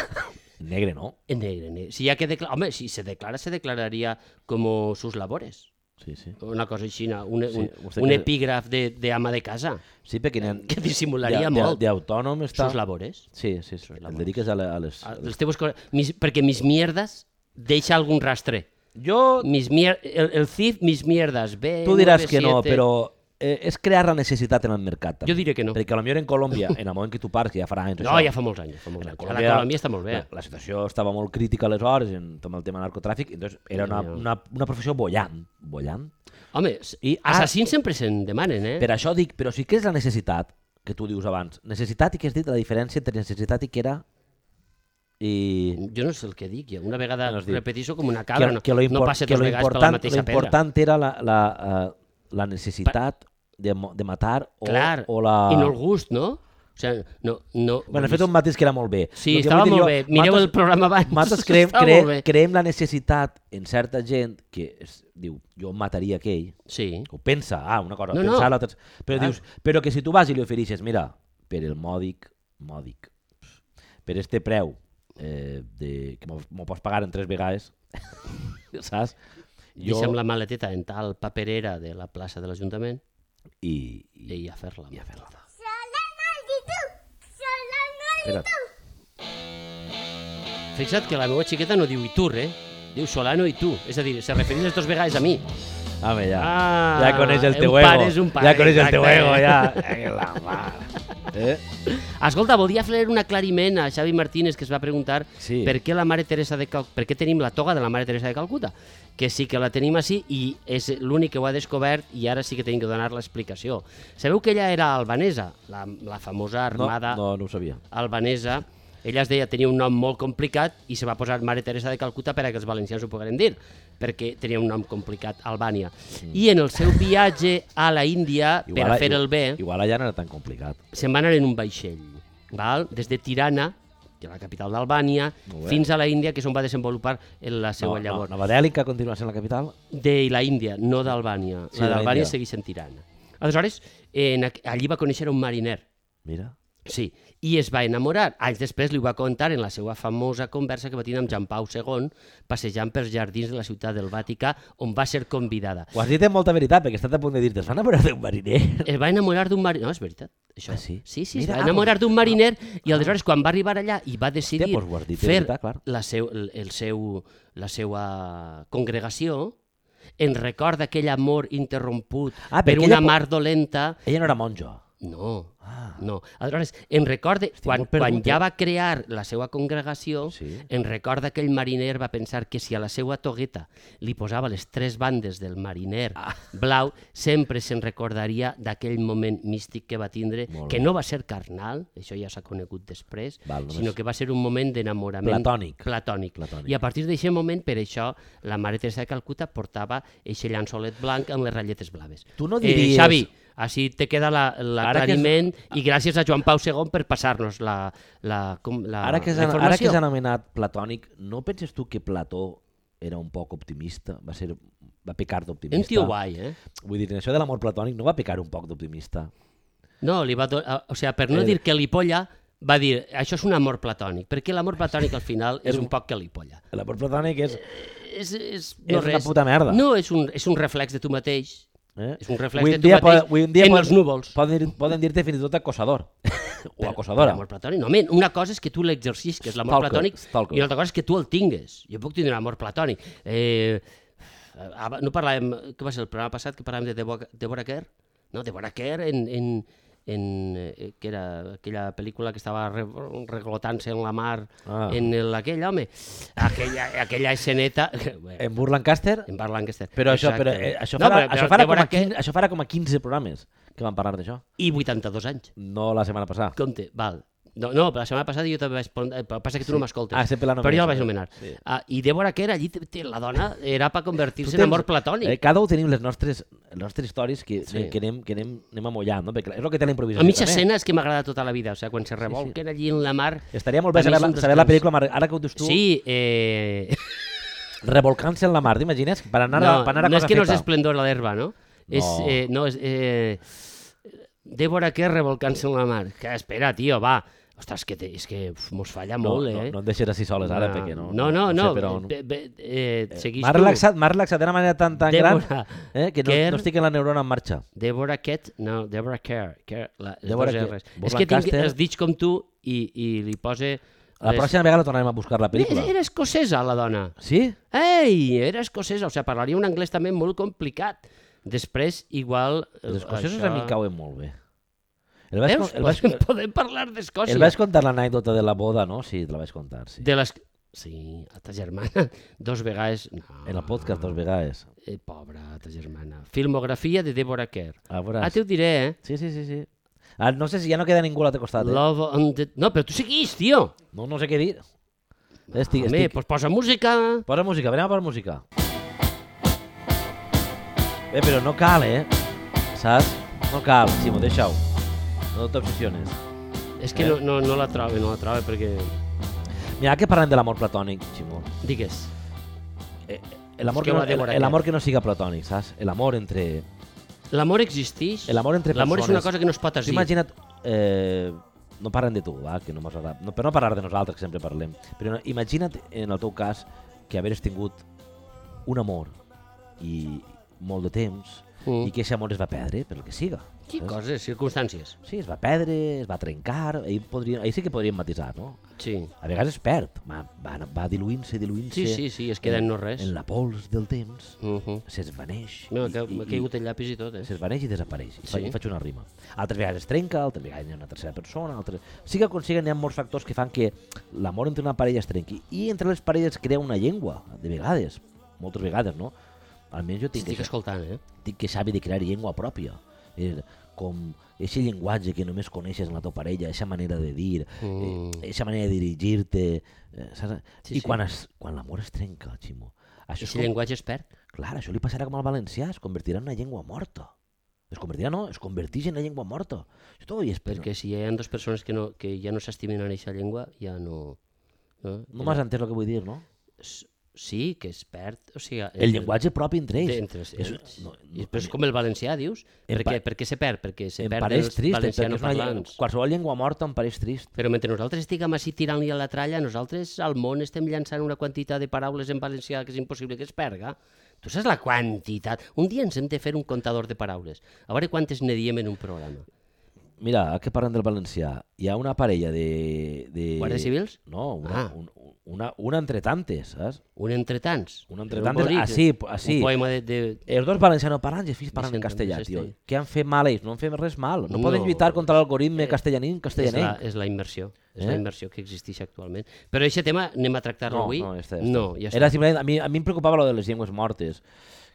Negre, no? En negre, negre. Si hi ha que declarar... Home, si se declara, se declararia com sus labores. Sí, sí. Una cosa així, un, Sí, un, vostè un que- epígraf de, de ama de casa. Sí, perquè n'hi ha... Que dissimularia de- de- molt. D'autònom està... Sus labores. Sí, sí, sí. El labores. dediques a, la, a les... A Les teves coses... Mis, perquè mis mierdas deixa algun rastre. Jo... Mis mier... el, el C I F, mis mierdas. B, Tu diràs nueve, que no, siete. però eh, és crear la necessitat en el mercat. També. Jo diré que no. Perquè potser en Colòmbia, en el moment que tu parles, que ja farà anys... No, això, ja fa molts anys. Ja fa molts en anys. Ara Colòmbia està molt bé. La, la situació estava molt crítica aleshores en tot el tema narcotràfic, entonces era una, Ja. una, una professió bollant. Bollant. Home, I, I, ah, assassins sempre se'n demanen, eh? Per això dic, però sí que és la necessitat, que tu dius abans. Necessitat i que has dit la diferència entre necessitat i que era... I... Jo no sé el que dic, jo una vegada No has dit. repeteixo com una cabra, no, lo no impor- passa que dos lo vegades per la important, mateixa lo pedra. important era la, la, uh, la necessitat de, mo- de matar o, Clar, o la... i no el gust, no? O sigui, no... no Bueno, he fet un matís que era molt bé. Sí, El que estava vull dir molt jo, bé. Mireu nosaltres- el programa abans. Nosaltres creem, Estava cre, molt bé. creem la necessitat en certa gent que es, diu, jo mataria aquell, Sí. o pensa, ah, una cosa, No, no. pensar l'altra... Però Clar. dius, però que si tu vas i li ofereixes, mira, per el mòdic, mòdic, per este preu, eh, de, que m'ho m'ho pots pagar en tres vegades, saps? Jo... Deixa'm la maleteta en tal paperera de la plaça de l'Ajuntament I, i, i a fer-la. i a fer-la. Solano Espera't. Fixa't que la meva xiqueta no diu Itur, eh? Diu Solano i tu. És a dir, se refereix les dues vegades a mi. Home, ja. Ah, ja coneix el teu un ego. pare és un pare, ja coneix el teu exacte. ego, ja. Ai, la mare. Eh? Escolta, volia fer un aclariment a Xavi Martínez, que es va preguntar Sí. per què la Mare Teresa de Cal... per què tenim la toga de la Mare Teresa de Calcuta, que sí que la tenim així i és l'únic que ho ha descobert i ara sí que tenim que donar l'explicació. Sabeu que ella era albanesa, la, la famosa armada No, no, no ho sabia. albanesa. Ella es deia, tenia un nom molt complicat i se va posar Mare Teresa de Calcuta per a que els valencians ho pogueren dir, perquè tenia un nom complicat, Albània. Mm. I en el seu viatge a la Índia, per a fer el bé, Igual allà no era tan complicat. se'n van anar en un vaixell, val? Des de Tirana, que és la capital d'Albània, Molt bé. fins a la Índia, que és on va desenvolupar la seva no, llavor. no, Nova Delhi, que continua sent la capital? De la Índia, no d'Albània. Sí, la de la d'Albània Índia. segueix en Tirana. Aleshores, en, aqu- allí va conèixer un mariner. Mira. Sí, i es va enamorar. Anys després li ho va contar en la seva famosa conversa que va tenir amb Jean Pau segon, passejant pels jardins de la ciutat del Vaticà, on va ser convidada. Ho has dit amb molta veritat, perquè he estat a punt de dir-te, es va enamorar d'un mariner? Es va enamorar d'un mariner... No, és veritat. Això. Ah, sí? Sí, sí, Mira, es ah, va enamorar pues- d'un mariner i aleshores quan va arribar allà i va decidir Hòstia, pues ho has dit de fer veritat, clar. la, seu, el, el seu, la seva congregació en record d'aquell amor interromput Ah, per perquè una ella po- mar dolenta. Ella no era monjo. No, Ah. no. Aleshores, en record de, quan, molt perdut, quan ja eh? va crear la seva congregació, Sí. en record d'aquell mariner va pensar que si a la seva togueta li posava les tres bandes del mariner Ah. blau, sempre se'n recordaria d'aquell moment místic que va tindre, Molt que bé. no va ser carnal, això ja s'ha conegut després, Val, només- sinó que va ser un moment d'enamorament Platònic. platònic. Platònic. I a partir d'aquest moment, per això, la Mare Teresa de Calcuta portava eixe llançolet blanc amb les ratlletes blaves. Tu no diries- Eh, Xavi, així te queda la- Ara que l'aclariment i gràcies a Joan Pau segon per passar-nos la, la, com, la, Ara que la s'ha ara que informació. s'ha anomenat platònic, no penses tu que Plató era un poc optimista? Va ser va pecar d'optimista? Un tio guai, eh? Vull dir, en això de l'amor platònic no va pecar un poc d'optimista? No, li va do... o sigui, per no Eh. dir que li polla, va dir, això és un amor platònic, perquè l'amor platònic al final és És un un- poc que li polla. L'amor platònic és... És, és, És no una res. puta merda. No, és un, és un reflex de tu mateix. Eh? És un reflex Avui de en tu dia mateix po- avui en dia en poden- els núvols. Poden, dir- poden dir-te fins i tot acosador. o Per- acosadora. per amor platònic. No, men, una cosa és que tu l'exercisques, l'amor Stalker, platònic, stalker. i una altra cosa és que tu el tingues. Jo puc tindre un amor platònic. Eh, ah, no parlàvem, què va ser el programa passat, que parlàvem de Deborah, Deborah Kerr? No, Deborah Kerr en, en, en eh, que era aquella pel·lícula que estava re, reglotant-se en la mar, Ah. en el, aquell home, aquella, aquella esceneta... Bé, En Burt Lancaster? en Burt Lancaster. Però això, Exacte. però, eh, això, No, farà, però- això, però farà com Deborah a Kerr- quinze, això farà com a quinze programes que van parlar d'això. I vuitanta-dos anys. No la setmana passada. Compte, val. No, no, però la setmana passada jo també vaig... pon- eh, Passa que tu no m'escoltes. Ah, sempre la però jo la nomines, vaig nomenar. sí. Ah, I Deborah Kerr, allí, té- té- la dona era per convertir-se Tu en tens- amor platònic. Eh, cada un tenim les nostres, les nostres històries que, Sí. que, anem, que anem, anem amollant, no? Perquè és el que té la improvisació A mi aquesta també. escena és que m'agrada tota la vida, o sigui, quan se revolquen allí en la mar... Estaria molt bé per mi saber, és la, un saber la descans. pel·lícula, Mar- ara que ho dius tu, Sí, eh... revolcant-se en la mar, t'imagines? Per anar, no, a, per anar a no és cosa que no és feta. esplendor a l'herba, no? És, eh, no, és... Eh... Deborah Kerr revolcant-se en la mar. Que espera, tio, va. Ostres, que te, és que uf, mos falla No, molt, no, eh? no et deixes així soles ara, Ah, perquè no... No, no, no. sé per on. Be, be, eh, seguís M'ha tu. relaxat, m'ha relaxat d'una manera tan, tan Deborah gran eh, que no, Kerr. no estic en la neurona en marxa. Deborah Kett, no, Deborah Kerr. Kerr la, les Deborah dos Kerr. R's. Burt És que tinc Lancaster. els dits com tu i, i li pose... La pròxima vegada tornarem a buscar la pel·lícula. Era escocesa, la dona. Sí? Ei, era escocesa, o sigui, parlaria un anglès també molt complicat. Després, igual... eh, Els escocesos això- a mi em cauen molt bé. El vaig, Veus? el vaig, Podem, podem parlar d'Escòcia. el vaig contar l'anècdota de la boda, no? Sí, te la vaig contar, sí. De les... Sí, a ta germana, dos vegades... No. En el podcast dos vegades. Eh, pobra, ta germana. Filmografia de Deborah Kerr. A veure... Ah, te ho diré, eh? Sí, sí, sí, sí. Ah, no sé si ja no queda ningú a l'altre costat, eh? Love on the... No, però tu seguís, tio. No, no sé què dir. Estic, Home, estic... pues posa música. Posa música, anem a posar música. Bé, però no cal, eh? Saps? No cal, Ximo, deixa-ho. No t'obsessiones. És que Eh? no, no, no la trobo, no la trobo perquè... Mira que parlem de l'amor platònic, Ximo. Digues. Eh, L'amor És que que, ho no, ha de veure el- l'amor aquest. que no siga platònic, saps? L'amor entre... L'amor existeix. L'amor entre L'amor és persones. una cosa que no es pot Tu dir. imagina't... Eh, no parlem de tu, va, que no mos agrada, no, per no parlar de nosaltres, que sempre parlem, però no, imagina't en el teu cas que haveres tingut un amor i molt de temps Mm. i que aquest amor es va perdre, per el que siga. Sí, saps? coses, circumstàncies. Sí, es va perdre, es va trencar, ahir, podria, ahir sí que podríem matisar, no? Sí. A vegades es perd, va, va, va diluint-se, diluint-se. Sí, sí, sí, es queda en no res. En la pols del temps, Uh -huh. s'esvaneix. No, i- que i- m'ha caigut el llapis i tot, eh? S'esvaneix i desapareix. I Sí. sí. faig una rima. Altres vegades es trenca, altres vegades hi ha una tercera persona, altres... Siga com siga, hi ha molts factors que fan que l'amor entre una parella es trenqui. I entre les parelles es crea una llengua, de vegades, moltes vegades, no? Almenys jo tinc, Estic que, escoltant, eh? tinc que saber de crear llengua pròpia. Eh, com aquest llenguatge que només coneixes en la teva parella, aquesta manera de dir, aquesta mm. manera de dirigir-te... Eh, saps? Sí, I sí. quan, es, quan l'amor es trenca, Ximo, això és Aquest com... llenguatge es perd. Clar, això li passarà com al valencià, es convertirà en una llengua morta. Es convertirà, no, es converteix en una llengua morta. Això t'ho ho espero. Perquè si hi ha dues persones que, no, que ja no s'estimen en aquesta llengua, ja no... No, No m'has entès el que vull dir, no? Sí, que es perd... O sigui, El llenguatge propi entre ells. Entre ells. És- no, I no, però és com el valencià, dius? Em Per pa- què, per què se perd? Perquè se em perd pareix els trist, perquè és una llengua, valencianoparlants. qualsevol llengua morta em pareix trist. Però mentre nosaltres estiguem així tirant-li a la tralla, nosaltres al món estem llançant una quantitat de paraules en valencià que és impossible que es perga. Tu saps la quantitat? Un dia ens hem de fer un comptador de paraules. A veure quantes ne diem en un programa. Mira, ara que parlem del valencià, hi ha una parella de... de... Guàrdies civils? No, una, Ah. un, una, una entre tantes, saps? Un entre tants. Un entre Un tantes, bonic, així, així. Un poema de... de... Els dos valencianoparlants i els fills parlen en Vicent castellà, Andrés tio. Estell. Què han fet mal ells? No han fet res mal. No, No. poden lluitar contra l'algoritme Eh, castellaní És castellanenc. la, és la immersió. És Eh? la immersió que existeix actualment. Però aquest tema anem a tractar-lo No, avui? no, esta, esta. No, ja està. Era simplement, a mi, a mi em preocupava lo de les llengües mortes,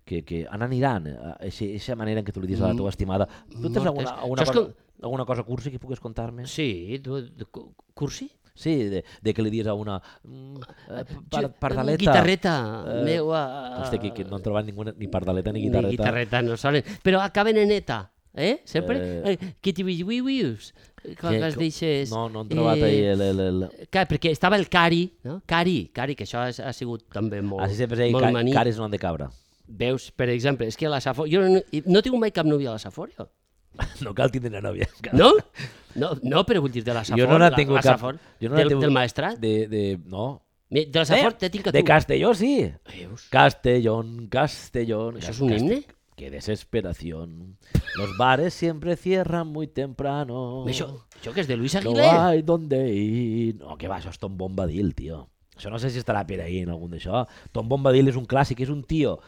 que, que on aniran, aquesta manera en què tu li dius a la teva estimada. Tu tens Mortes. alguna, alguna, Saps cosa, com- alguna cosa cursi que pugues contar-me? Sí, tu, de, cu- cursi? Sí, de, de que li dius a una mm, eh, par, Jo- pardaleta. Guitarreta, Eh, meua... Hosti, que, que no han trobat ninguna, ni pardaleta ni Ni guitarreta. guitarreta no sonen. Però acaben en eta, eh? Sempre? Eh. Eh, que t'hi vius? Quan Que- es deixes... No, no han trobat eh, ahí el... el, el... Clar, perquè estava el Cari, no? Cari, Cari, que això ha, ha sigut també molt, Així sempre es deia, molt ca, maní. cares no han de cabra. Veus, per exemple, és que la Safor... Jo no, no tinc mai cap núvia a la Saforio. No cal tindre nòvia. No? No, no, però vull dir de la Safor. Jo no n'he la- tingut la cap. Safor, Jo no n'he del, tingut- del maestrat. De, de, no. Mi- De la Safor Eh, te tinc a tu. De Castelló, sí. Veus? Castellón, Castellón. ¿Eso es un himne? Qué desesperación. Los bares siempre cierran muy temprano. Això, això que és de Luis No Aguilé. hay donde ir. No, que va, això és Tom Bombadil, tio. Això no sé si estarà per ahí en algun d'això. Tom Bombadil és un clàssic, és un tio.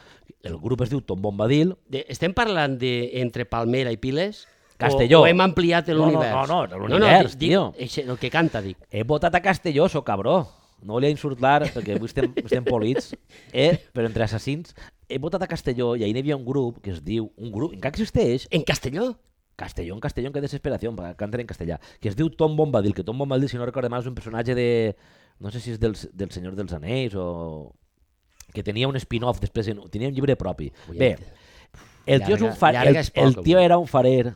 El grup es diu Tom Bombadil. De, estem parlant de entre Palmera i Piles? Castelló. O, o hem ampliat No, no, l'univers? no, no, l'univers, dic, tio. Dic, eixe, el que canta, dic. He votat a Castelló, so cabró. No volia insultar, perquè avui estem, estem polits, eh? Però entre assassins. He votat a Castelló i ahir hi havia un grup que es diu... Un grup, encara existeix, En Castelló? Castellón, Castellón, que desesperació, canten en castellà, que es diu Tom Bombadil, que Tom Bombadil, si no recordo mal, és un personatge de... No sé si és del, del Senyor dels Anells o... que tenia un spin-off després, en- tenia un llibre propi. Ui, Bé, el tio, és un llarga- far... llarga el, és poc, el tio avui. era un farer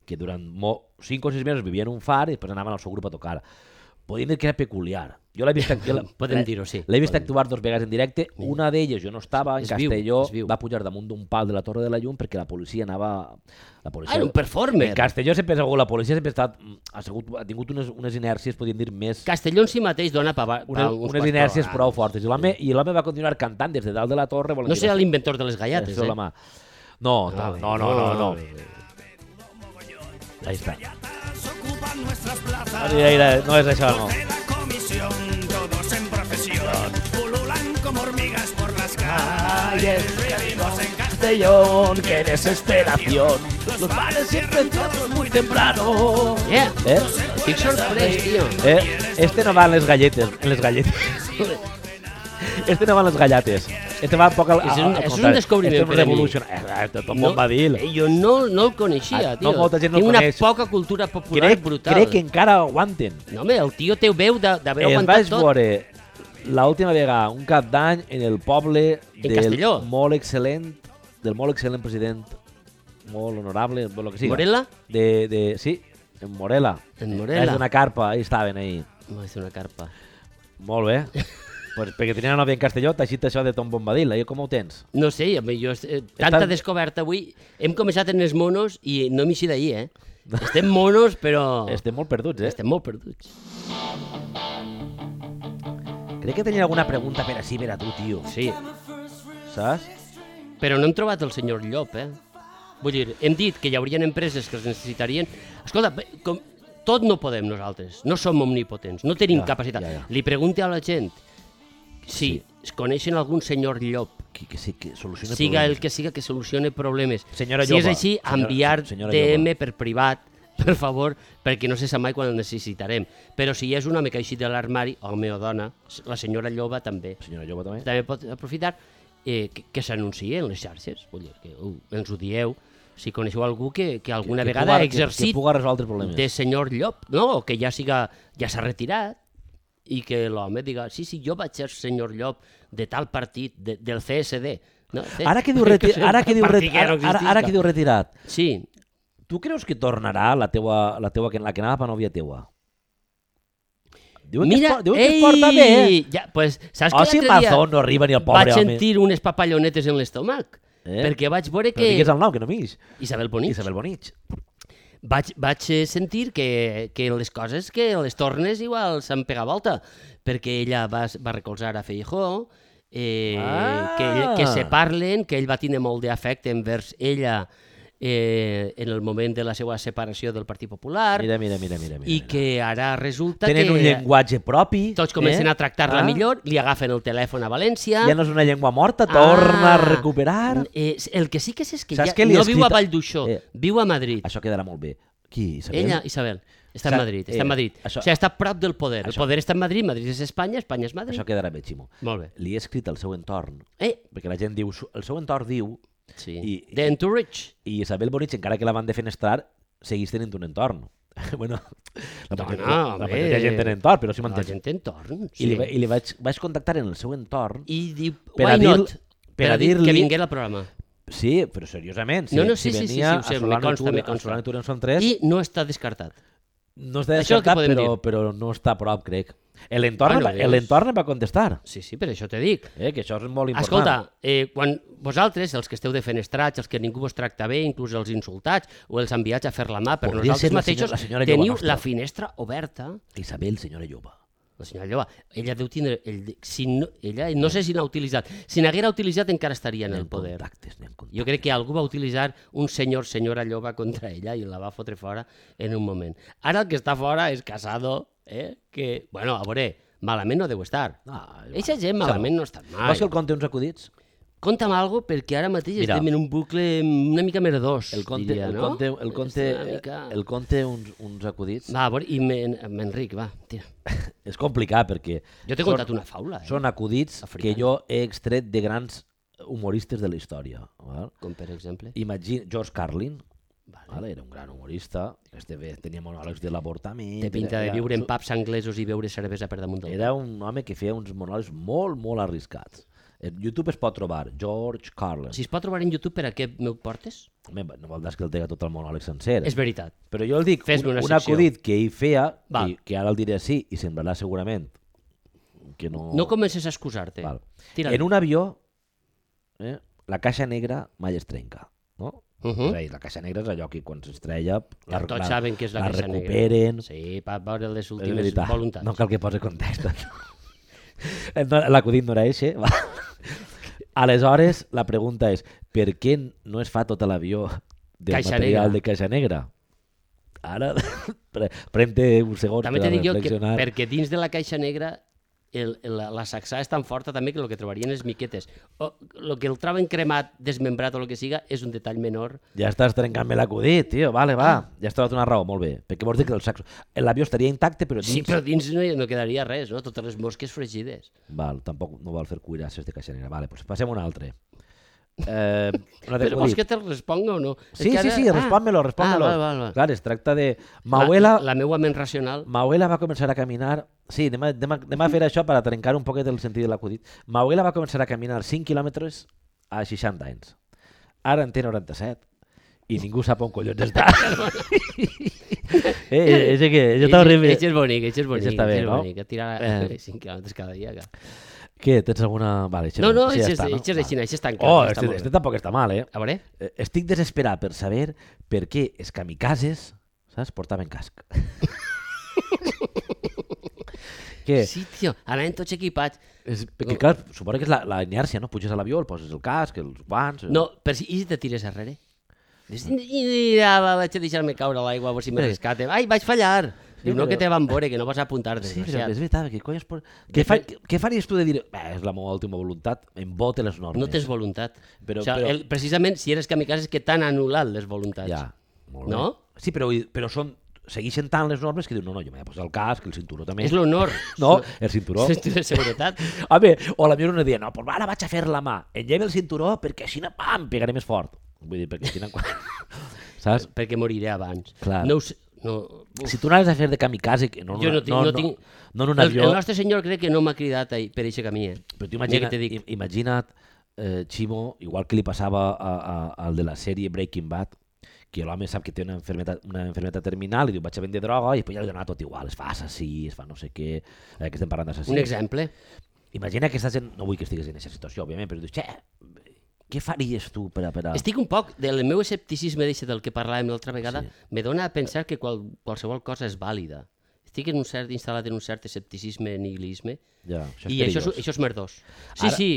que durant mo... cinc o sis mesos vivia en un far i després anaven al seu grup a tocar. Podríem dir que era peculiar. Jo l'he vist, jo la- Podem dir-ho, sí. L'he vist Podem. actuar dos vegades en directe. Una d'elles, jo no estava, en És viu, Castelló, és viu. va pujar damunt d'un pal de la Torre de la Llum perquè la policia anava... La policia... Ah, era un performer. En Castelló sempre ha sigut, la policia sempre ha, estat, ha, sigut, ha tingut unes, unes inèrcies, podríem dir, més... Castelló en si mateix dona pa, pa Unes, uns unes quants inèrcies programes. prou fortes. I l'home i l'home va continuar cantant des de dalt de la torre. No serà l'inventor de les gallates, eh? eh? La mà. No, no, no, no, no, no. Ahí está. Mira, mira, no és això, no. Todos en procesión, pululan como hormigas por las calles. Vivimos en Castellón, qué desesperación. Los bares siempre cierran muy temprano. Yeah. Eh? Estic sorprès, tio. Eh? Este no va en les galletes, en les galletes. Este no va en les gallates. Este va un poc al, És un- al, al és un contrari. descobriment Este és un per a mi. revolution. Eh, eh, Tom No, Bombadil. eh, jo no, no el coneixia, Ah, tio. no, molta gent no el Tinc una coneix. poca cultura popular Crec, brutal. crec que encara aguanten. No, home, el tio té veu de- d'haver Es aguantat vaig tot. veure l'última vegada, un cap d'any, en el poble En del Castelló? molt excel·lent, del molt excel·lent president, molt honorable, el que siga. Morela? De, de, sí, en Morela. En Morela. És una carpa, ahí estaven, ahí. No, és una carpa. Molt bé. Pues perquè tenia una nòvia en Castelló, t'ha aixit això de Tom Bombadil, eh? Com ho tens? No sé, home, jo, eh, tanta Estàs- descoberta avui. Hem començat en els monos i no m'hi d'ahir, eh? Estem monos, però... Estem molt perduts, eh? Estem molt perduts. Crec que tenia alguna pregunta per així, per a tu, tio. Sí, Saps? però no hem trobat el senyor Llop, eh? Vull dir, hem dit que hi haurien empreses que els necessitarien... Escolta, bé, com... tot no podem nosaltres, no som omnipotents, no tenim Ja, capacitat. ja, ja. Li pregunti a la gent si Sí. es coneixen algun senyor Llop, Que, que sí, que soluciona siga el problemes. que siga que solucione problemes. Senyora si és Lloba, així, senyora- enviar senyora D M Lloba. per privat, per favor, perquè no se sap mai quan el necessitarem. Però si és un home que ha eixit de l'armari, home o dona, la senyora Lloba també, Senyora Lloba també? també pot aprofitar eh, que, que s'anunciï en les xarxes. Vull dir, que uh, ens ho dieu. Si coneixeu algú que, que alguna Que- que vegada puga- ha exercit Que, que puga resoldre problemes. de senyor Llop, no? O que ja siga, ja s'ha retirat i que l'home diga, sí, sí, jo vaig ser senyor Llop de tal partit, de, del C S D. No? Ara que diu, reti ara que diu, reti Partit que no ara, ara, ara que diu retirat, Sí, tu creus que tornarà la teua, la teua, la que anava per nòvia teua? Diuen que, es, mira, por- diuen que es porta bé, eh? Ja, pues, saps Oh, que si l'altre dia Mazón no arriba ni el pobre vaig home. sentir unes papallonetes en l'estómac, Eh? perquè vaig veure Però digues que... el nom, que no m'ix. Isabel Bonich. Isabel Bonich. Vaig, vaig eh, sentir que, que les coses, que les tornes igual s'han pegat volta, perquè ella va, va recolzar a Feijóo, eh, Ah! que, ell- que se parlen, que ell va tenir molt d'afecte envers ella eh, en el moment de la seva separació del Partit Popular, Mira, mira, mira, mira. mira i que ara resulta Tenen que un llenguatge propi. tots comencen eh? a tractar-la Ah, millor, li agafen el telèfon a València... Ja no és una llengua morta, torna a Ah, recuperar. Eh, el que sí que és, és que Saps ja què li he no viu a escrit? Vall d'Uixó, Eh, viu a Madrid. Això quedarà molt bé. Qui, Isabel? Ella, Isabel, està Sa- en Madrid, està eh, en Madrid. això- O sigui, està a prop del poder. El això- poder està en Madrid, Madrid és Espanya, Espanya és Madrid. Això quedarà bé, Ximo. Molt bé. Li he escrit al seu entorn, Eh, perquè la gent diu, el seu entorn diu, sí. I- The Entourage. i Isabel Bonich, encara que la van defenestrar, seguís tenint un entorn. bueno, la, No, majoria, no, la home. majoria de gent té entorn, però sí La m'entens. gent té entorn. I, li, Sí. va- i li vaig, vaig contactar en el seu entorn I diu, per a why dir- not? per Per a a dir que dir-li- vingués al programa. Sí, però seriosament. Si, No, no, si sí, sí, sí, venia sí, ho sé, a me Solano consta, i me Tura- a consta. Solano i Tura en són tres, I no està descartat. no està Això és el que descartat, podem però, dir. però no està a prop, crec. L'entorn Bueno, va- és- l'entorn em va contestar, Sí, sí, per això te dic. eh, que això és molt important. Escolta, eh, quan vosaltres, els que esteu defenestrats, els que ningú vos tracta bé, inclús els insultats o els enviats a fer la mà per Podria ser nosaltres la mateixos, senyora- la senyora Lloba teniu nostra. la finestra oberta. Isabel, senyora Lloba. La senyora Lloba, ella deu tindre... El, si no, ella, no sé si n'ha utilitzat. Si n'haguera utilitzat encara estaria en N'hi ha el poder. contactes, n'hi ha contactes. Jo crec que algú va utilitzar un senyor, senyora Lloba contra ella i la va fotre fora en un moment. Ara el que està fora és Casado, eh? que, bueno, a veure, malament no deu estar. No, Eixa gent malament no està mai. Vols que el conte uns acudits? Conta'm alguna cosa, perquè ara mateix Mira. estem en un bucle una mica merdós, El conte, diria, el no? conte, el conte, És una mica... el conte uns, uns acudits. Va, a veure, i m'en- m'Enric, va, tira. És complicat perquè Jo t'he són- contat una faula, eh? són acudits Africana. que jo he extret de grans humoristes de la història. Val? Com per exemple. Imagina, George Carlin, Vale. vale? Era un gran humorista, este bé, tenia monòlegs de l'avortament. Té pinta de era- viure en era- pubs anglesos i beure cervesa per damunt del Era un home que feia uns monòlegs molt, molt arriscats. En YouTube es pot trobar George Carlin. Si es pot trobar en YouTube, per a què m'ho portes? Home, no vol dir que el tega tot el monòleg sencer. És veritat. Però jo el dic, Fes-me un, una un secció. acudit que ell feia, Val. que, que ara el diré així i semblarà segurament que no... No comences a excusar-te. Val. Tira. En un avió, eh, la caixa negra mai es trenca, no? Uh És -huh. a dir, la caixa negra és allò que quan s'estrella la, Ja tots la, saben què és la, la caixa recuperen. negra. Sí, per veure les És últimes veritat, voluntats. no cal que posi context. No, l'acudit no era eixe. Va. Aleshores, la pregunta és, per què no es fa tot l'avió del Caixa material negra. de caixa negra? Ara, pre- pren-te uns segons També per te a dic jo que reflexionar. perquè dins de la caixa negra el, el, la, la sacsà és tan forta també que el que trobarien les miquetes. O el que el troben cremat, desmembrat o el que siga, és un detall menor. Ja estàs trencant-me l'acudit, tio. Vale, va. Ja has trobat una raó, molt bé. Perquè vols dir que el saxo... l'avió estaria intacte, però dins... Sí, però dins no, hi- no quedaria res, no? Totes les mosques fregides. Val, tampoc no vol fer cuirasses de caixa negra. Vale, doncs passem a un altre. Eh, un altre Però vols acudit. que te'l responga o no? És Sí, que sí, ara- sí, respon-me-lo, respon-me-lo. Ah, val, val, val. Clar, es tracta de... Mauela, La, la meua ment racional. Mauela va començar a caminar... Sí, anem a, anem a, anem a fer això per a trencar un poquet el sentit de l'acudit. Mauela va començar a caminar cinc quilòmetres a seixanta anys. Ara en té noranta-set. I ningú sap on collons està. eh, és que jo t'ho arribo... Eix és bonic, eix és bonic. està bé, eix és no? bonic. A tirar Eh. cinc quilòmetres cada dia. Que... Què, tens alguna... Vale, No, no, això això ja està, no? és així, Vale. això és tan clar. Oh, està este, molt este bé. tampoc està mal, eh? A veure? Eh, Estic desesperat per saber per què els kamikazes, saps, portaven casc. Què? Sí, tio, anaven tots equipats. És, perquè, clar, suposo que és la, la inèrcia, no? Puges a l'avió, el poses el casc, els guants... No, per si, i si te tires arrere? Dius, I ja, va, vaig a deixar-me caure a l'aigua a veure si me Bé. rescate. Ai, vaig fallar! Diu, no però- que te van veure, que no vas a apuntar, Sí, però desgraciat. és veritat, què cony es pot... Què, fa, què faries tu de dir, "Bé, és la meva última voluntat, em bote les normes"? No tens voluntat. Però- o sigui, però- el, precisament, si eres kamikaze, és que t'han anul·lat les voluntats. Ja, molt bé. No? Sí, però, però són, segueixen tant les normes que diu, no, no, jo m'he de posar el casc, el cinturó també. És l'honor. No, el cinturó. És de seguretat. Home, o la meva una dia, no, pues ara vaig a fer la mà, engega el cinturó perquè així, pam, pegaré més fort. Vull dir, perquè així... Saps? Perquè moriré abans. Clar. No ho sé. No, uf. Si tu anaves a fer de kamikaze, que no, Jo no tinc- no, no no, tinc- no en un el, avió, el nostre senyor crec que no m'ha cridat ahí, per aquest camí, eh? però tu Mira imagina, que te dic. im- imagina't, eh, Ximo, igual que li passava a, a, al de la sèrie Breaking Bad, que l'home sap que té una enfermedad, una enfermedad terminal i diu, vaig a vendre droga, i després ja li dona tot igual, es fa assassí, es fa no sé què, eh, que estem parlant d'assassí. Un exemple. Imagina que estàs en... No vull que estiguis en aquesta situació, òbviament, però dius, xe, què faries tu per a... Per a... Estic un poc, del meu escepticisme d'eixe del que parlàvem l'altra vegada, Sí. me dona a pensar que qual, qualsevol cosa és vàlida. Estic en un cert, instal·lat en un cert escepticisme, nihilisme, Ja, això és i això, és- perillós. això és merdós. Sí, Ara- sí,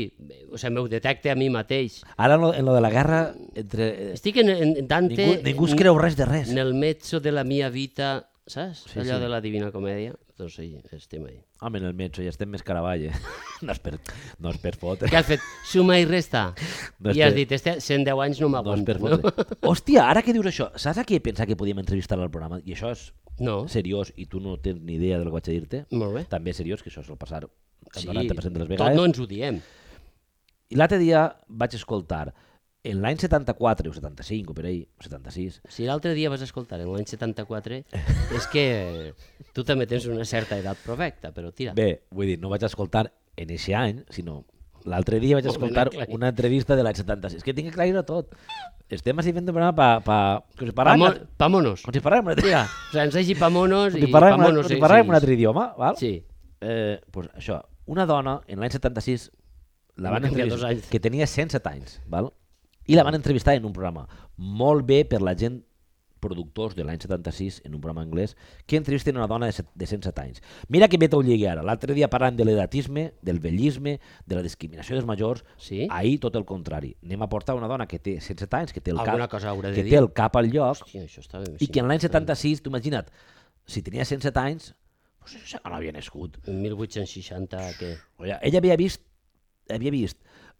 o sigui, m'ho detecte a mi mateix. Ara en lo, en lo de la guerra, entre... Estic en, en Dante... Ningú, ningú es creu res de res. Nel mezzo de la mia vita, saps? Sí, Allò sí. de la Divina Comèdia. Doncs sí, estem ahí. Home, en el metge ja estem més caravall, eh? No és per, no és per fotre. Què has fet? Suma i resta. No és I has per- dit, este cent deu anys no No és per m'aguanto. fotre. Hòstia, ara que dius això, saps a qui he pensat que podíem entrevistar al programa? I això és No? seriós i tu no tens ni idea del que vaig a dir-te. Molt bé. També és seriós, que això sol passar el Sí, noranta per cent de les tot vegades. no ens ho diem. I l'altre dia vaig escoltar, en l'any setanta-quatre o setanta-cinc o per ahí, o setanta-sis, Si l'altre dia vas escoltar en l'any setanta-quatre, és que tu també tens una certa edat provecta, però tira. bé, vull dir, no vaig escoltar en eixe any, sinó l'altre dia vaig Molt ben escoltar aclarit. una entrevista de l'any setanta-sis. Que tinc que aclarir-ho tot. Estem així fent un programa pa, pa, com si Pa, parlàvem, mo pa monos. com si parlàvem un altre, Tira, o sigui, ens hagi pa monos com i si parlàvem, pa una- monos. com si sí, parlàvem sí. un altre idioma, val? Sí. Eh, pues això, una dona en l'any setanta-sis la van Va canviar entrevistar, dos anys. que tenia cent set anys, val? I la van entrevistar en un programa molt bé per la gent productors de l'any setanta-sis en un programa anglès que entrevisten una dona de, set, de cent set anys. Mira que bé t'ho lligui ara. L'altre dia parlant de l'edatisme, del vellisme, de la discriminació dels majors, Sí? ahir tot el contrari. Anem a portar una dona que té cent set anys, que té el, Alguna cap, cosa haurà de que dir. té el cap al lloc, Hòstia, això està ben i que en l'any setanta-sis, tu imagina't, si tenia cent set anys, pues això no havia nascut. En mil vuit-cents seixanta, què? Ella, ella havia vist, havia vist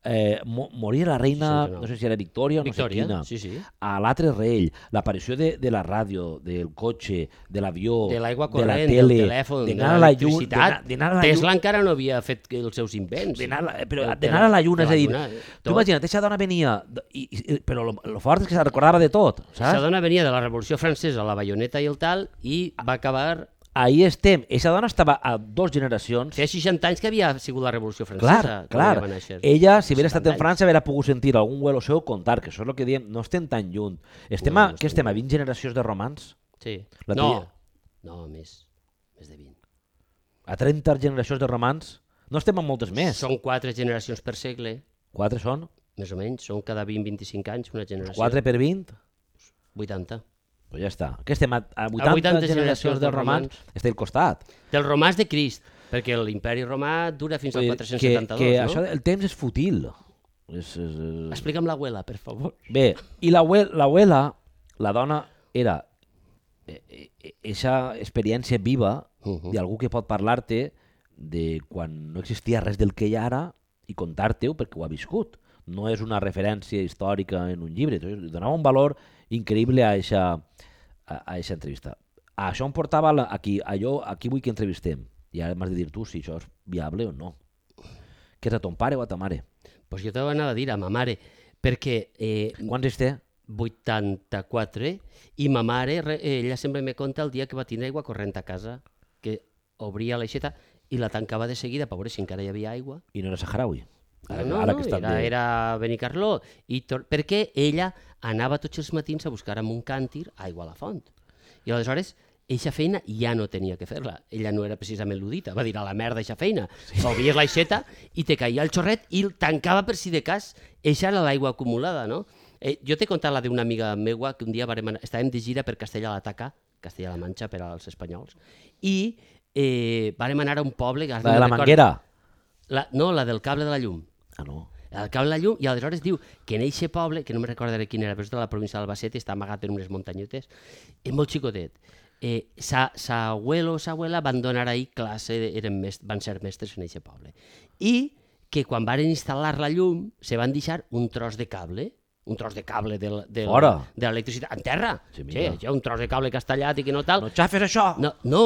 eh, mo morir la reina, seixanta-nou. no sé si era Victòria o no Victòria, sé quina, sí, sí. a l'altre rei, l'aparició de, de la ràdio, del cotxe, de l'avió, De l'aigua de la corrent, tele, del telèfon, de d'anar a la lluna, l'electricitat. d'anar a la Tesla lluna, encara no havia fet els seus invents. d'anar a la- però El d'anar a la lluna, és a dir, lluna, tu tot. imagina't, aquesta dona venia, d- i, i, però lo, lo fort és que se recordava de tot, Aquesta saps? dona venia de la Revolució Francesa, la baioneta i el tal, i va acabar... Ahí estem, aquesta dona estava a dos generacions. Feia seixanta anys que havia sigut la Revolució Francesa. Clar, quan clar. ella va néixer. Ella, si hagués estat setanta en França, hauria pogut sentir algun huelo seu contar, que això és el que diem, no estem tan lluny. Estem No, a, no què estem estem, a vint generacions de romans? Sí. La no, tia. no, més. Més de vint. A trenta generacions de romans? No estem en moltes més. Són quatre generacions per segle, Quatre són? més o menys. Són cada vint a vint-i-cinc anys una generació. Quatre per vint? vuitanta. Pues ja està. Què estem? A, a vuitanta, vuitanta generacions generacions de de romans? Està al costat. Del romàs de Crist, perquè l'imperi romà dura fins al Vull dir quatre-cents que, setanta-dos, que no? això, el temps és fútil. És, és, és... Explica'm l'abuela, per favor. Bé, i l'abuela, la dona, era aquesta experiència viva Uh -huh. d'algú que pot parlar-te de quan no existia res del que hi ha ara i contar-te-ho perquè ho ha viscut. No és una referència històrica en un llibre. Entonces, donava un valor increïble a aquesta a, a eixa entrevista. A això em portava la, aquí, allò, aquí vull que entrevistem. I ara m'has de dir tu si això és viable o no. Que és a ton pare o a ta mare? Pues jo t'ho anava a dir a ma mare, perquè eh, Quants anys té? vuitanta-quatre, i ma mare, re- ella sempre me conta el dia que va tindre aigua corrent a casa, que obria l'aixeta i la tancava de seguida per veure si encara hi havia aigua. I no era saharaui. No, no, no, estan era, de- era Benicarló, i tor- perquè ella anava tots els matins a buscar amb un càntir aigua a la font. I aleshores eixa feina ja no tenia que fer-la. Ella no era precisament ludita, va dir a la merda eixa feina. Sí. Obries l'aixeta i te caia el xorret i el tancava per si de cas. Eixa era l'aigua acumulada, no? Eh, jo t'he contat la d'una amiga meua que un dia varem anar, estàvem de gira per Castella-La Taca, Castella-La Manxa per als espanyols, i eh, varem anar a un poble... La de la Manguera? La, no, la del cable de la llum. Ah, no. El cable de la llum, i aleshores diu que en eixe poble, que no me recordaré quin era, però és de la província d'Albacete, està amagat en unes muntanyetes, és molt xicotet. Eh, sa, sa abuelo o sa abuela van donar ahí classe, eren mest, van ser mestres en aquest poble. I que quan van instal·lar la llum se van deixar un tros de cable, un tros de cable de, de, de l'electricitat en terra. Sí, sí, això, un tros de cable castellat i que no tal. No xafes això! No, no.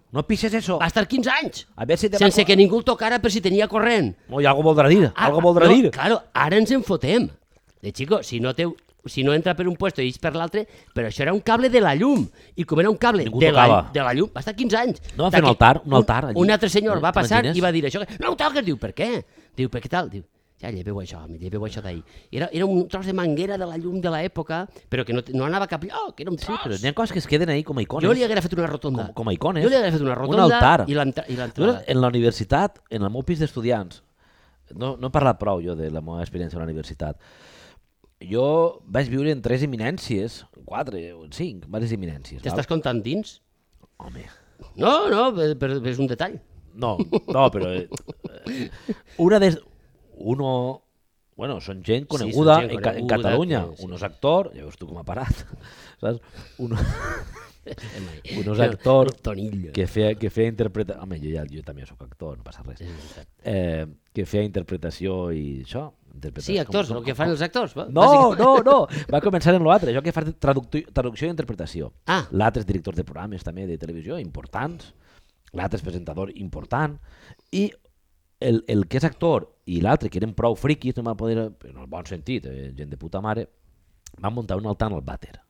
No pises eso. Va estar quinze anys, a ver si te sense va... que ningú el tocara per si tenia corrent. No, i algo voldrà dir, ah, algo voldrà no, dir. Claro, ara ens en fotem. De chico, si no té... si no entra per un puesto i ix per l'altre, però això era un cable de la llum, i com era un cable de la, de la llum, va estar quinze anys. No, va fer un altar, un altar. Un, un altre senyor va passar i va dir això, no ho toques, diu, per què? Diu, per què tal? Diu, ja lleveu això, lleveu això d'ahir. Era, era un tros de manguera de la llum de l'època, però que no, no anava cap lloc, era un tros. Sí, però n'hi ha coses que es queden ahí com a icones. Jo li haguera fet una rotonda. Com, com a icones. Jo li haguera fet una rotonda un altar. i l'entrada. En la universitat, en el meu pis d'estudiants, no, no he parlat prou jo de la meva experiència a la universitat, jo vaig viure en tres eminències, quatre o cinc, diverses eminències. T'estàs contant dins? Home. No, no, però és un detall. No, no, però... Eh, una de... Uno... Bueno, són gent coneguda, sí, gent coneguda en, en Catalunya. Que, sí. Uno és actor, ja veus tu com ha parat, saps? Uno... Uno és actor que feia, que feia interpretació... Home, jo, ja, jo també soc actor, no passa res. Eh, que feia interpretació i això... Sí, actors, com, el que fan els actors. Va? No, no, no, va començar en l'altre, jo que fa traducció i interpretació. Ah. L'altre és director de programes també de televisió importants, l'altre és presentador important, i el, el que és actor i l'altre, que eren prou friquis, no va poder, en el bon sentit, eh, gent de puta mare, van muntar un altar en el vàter.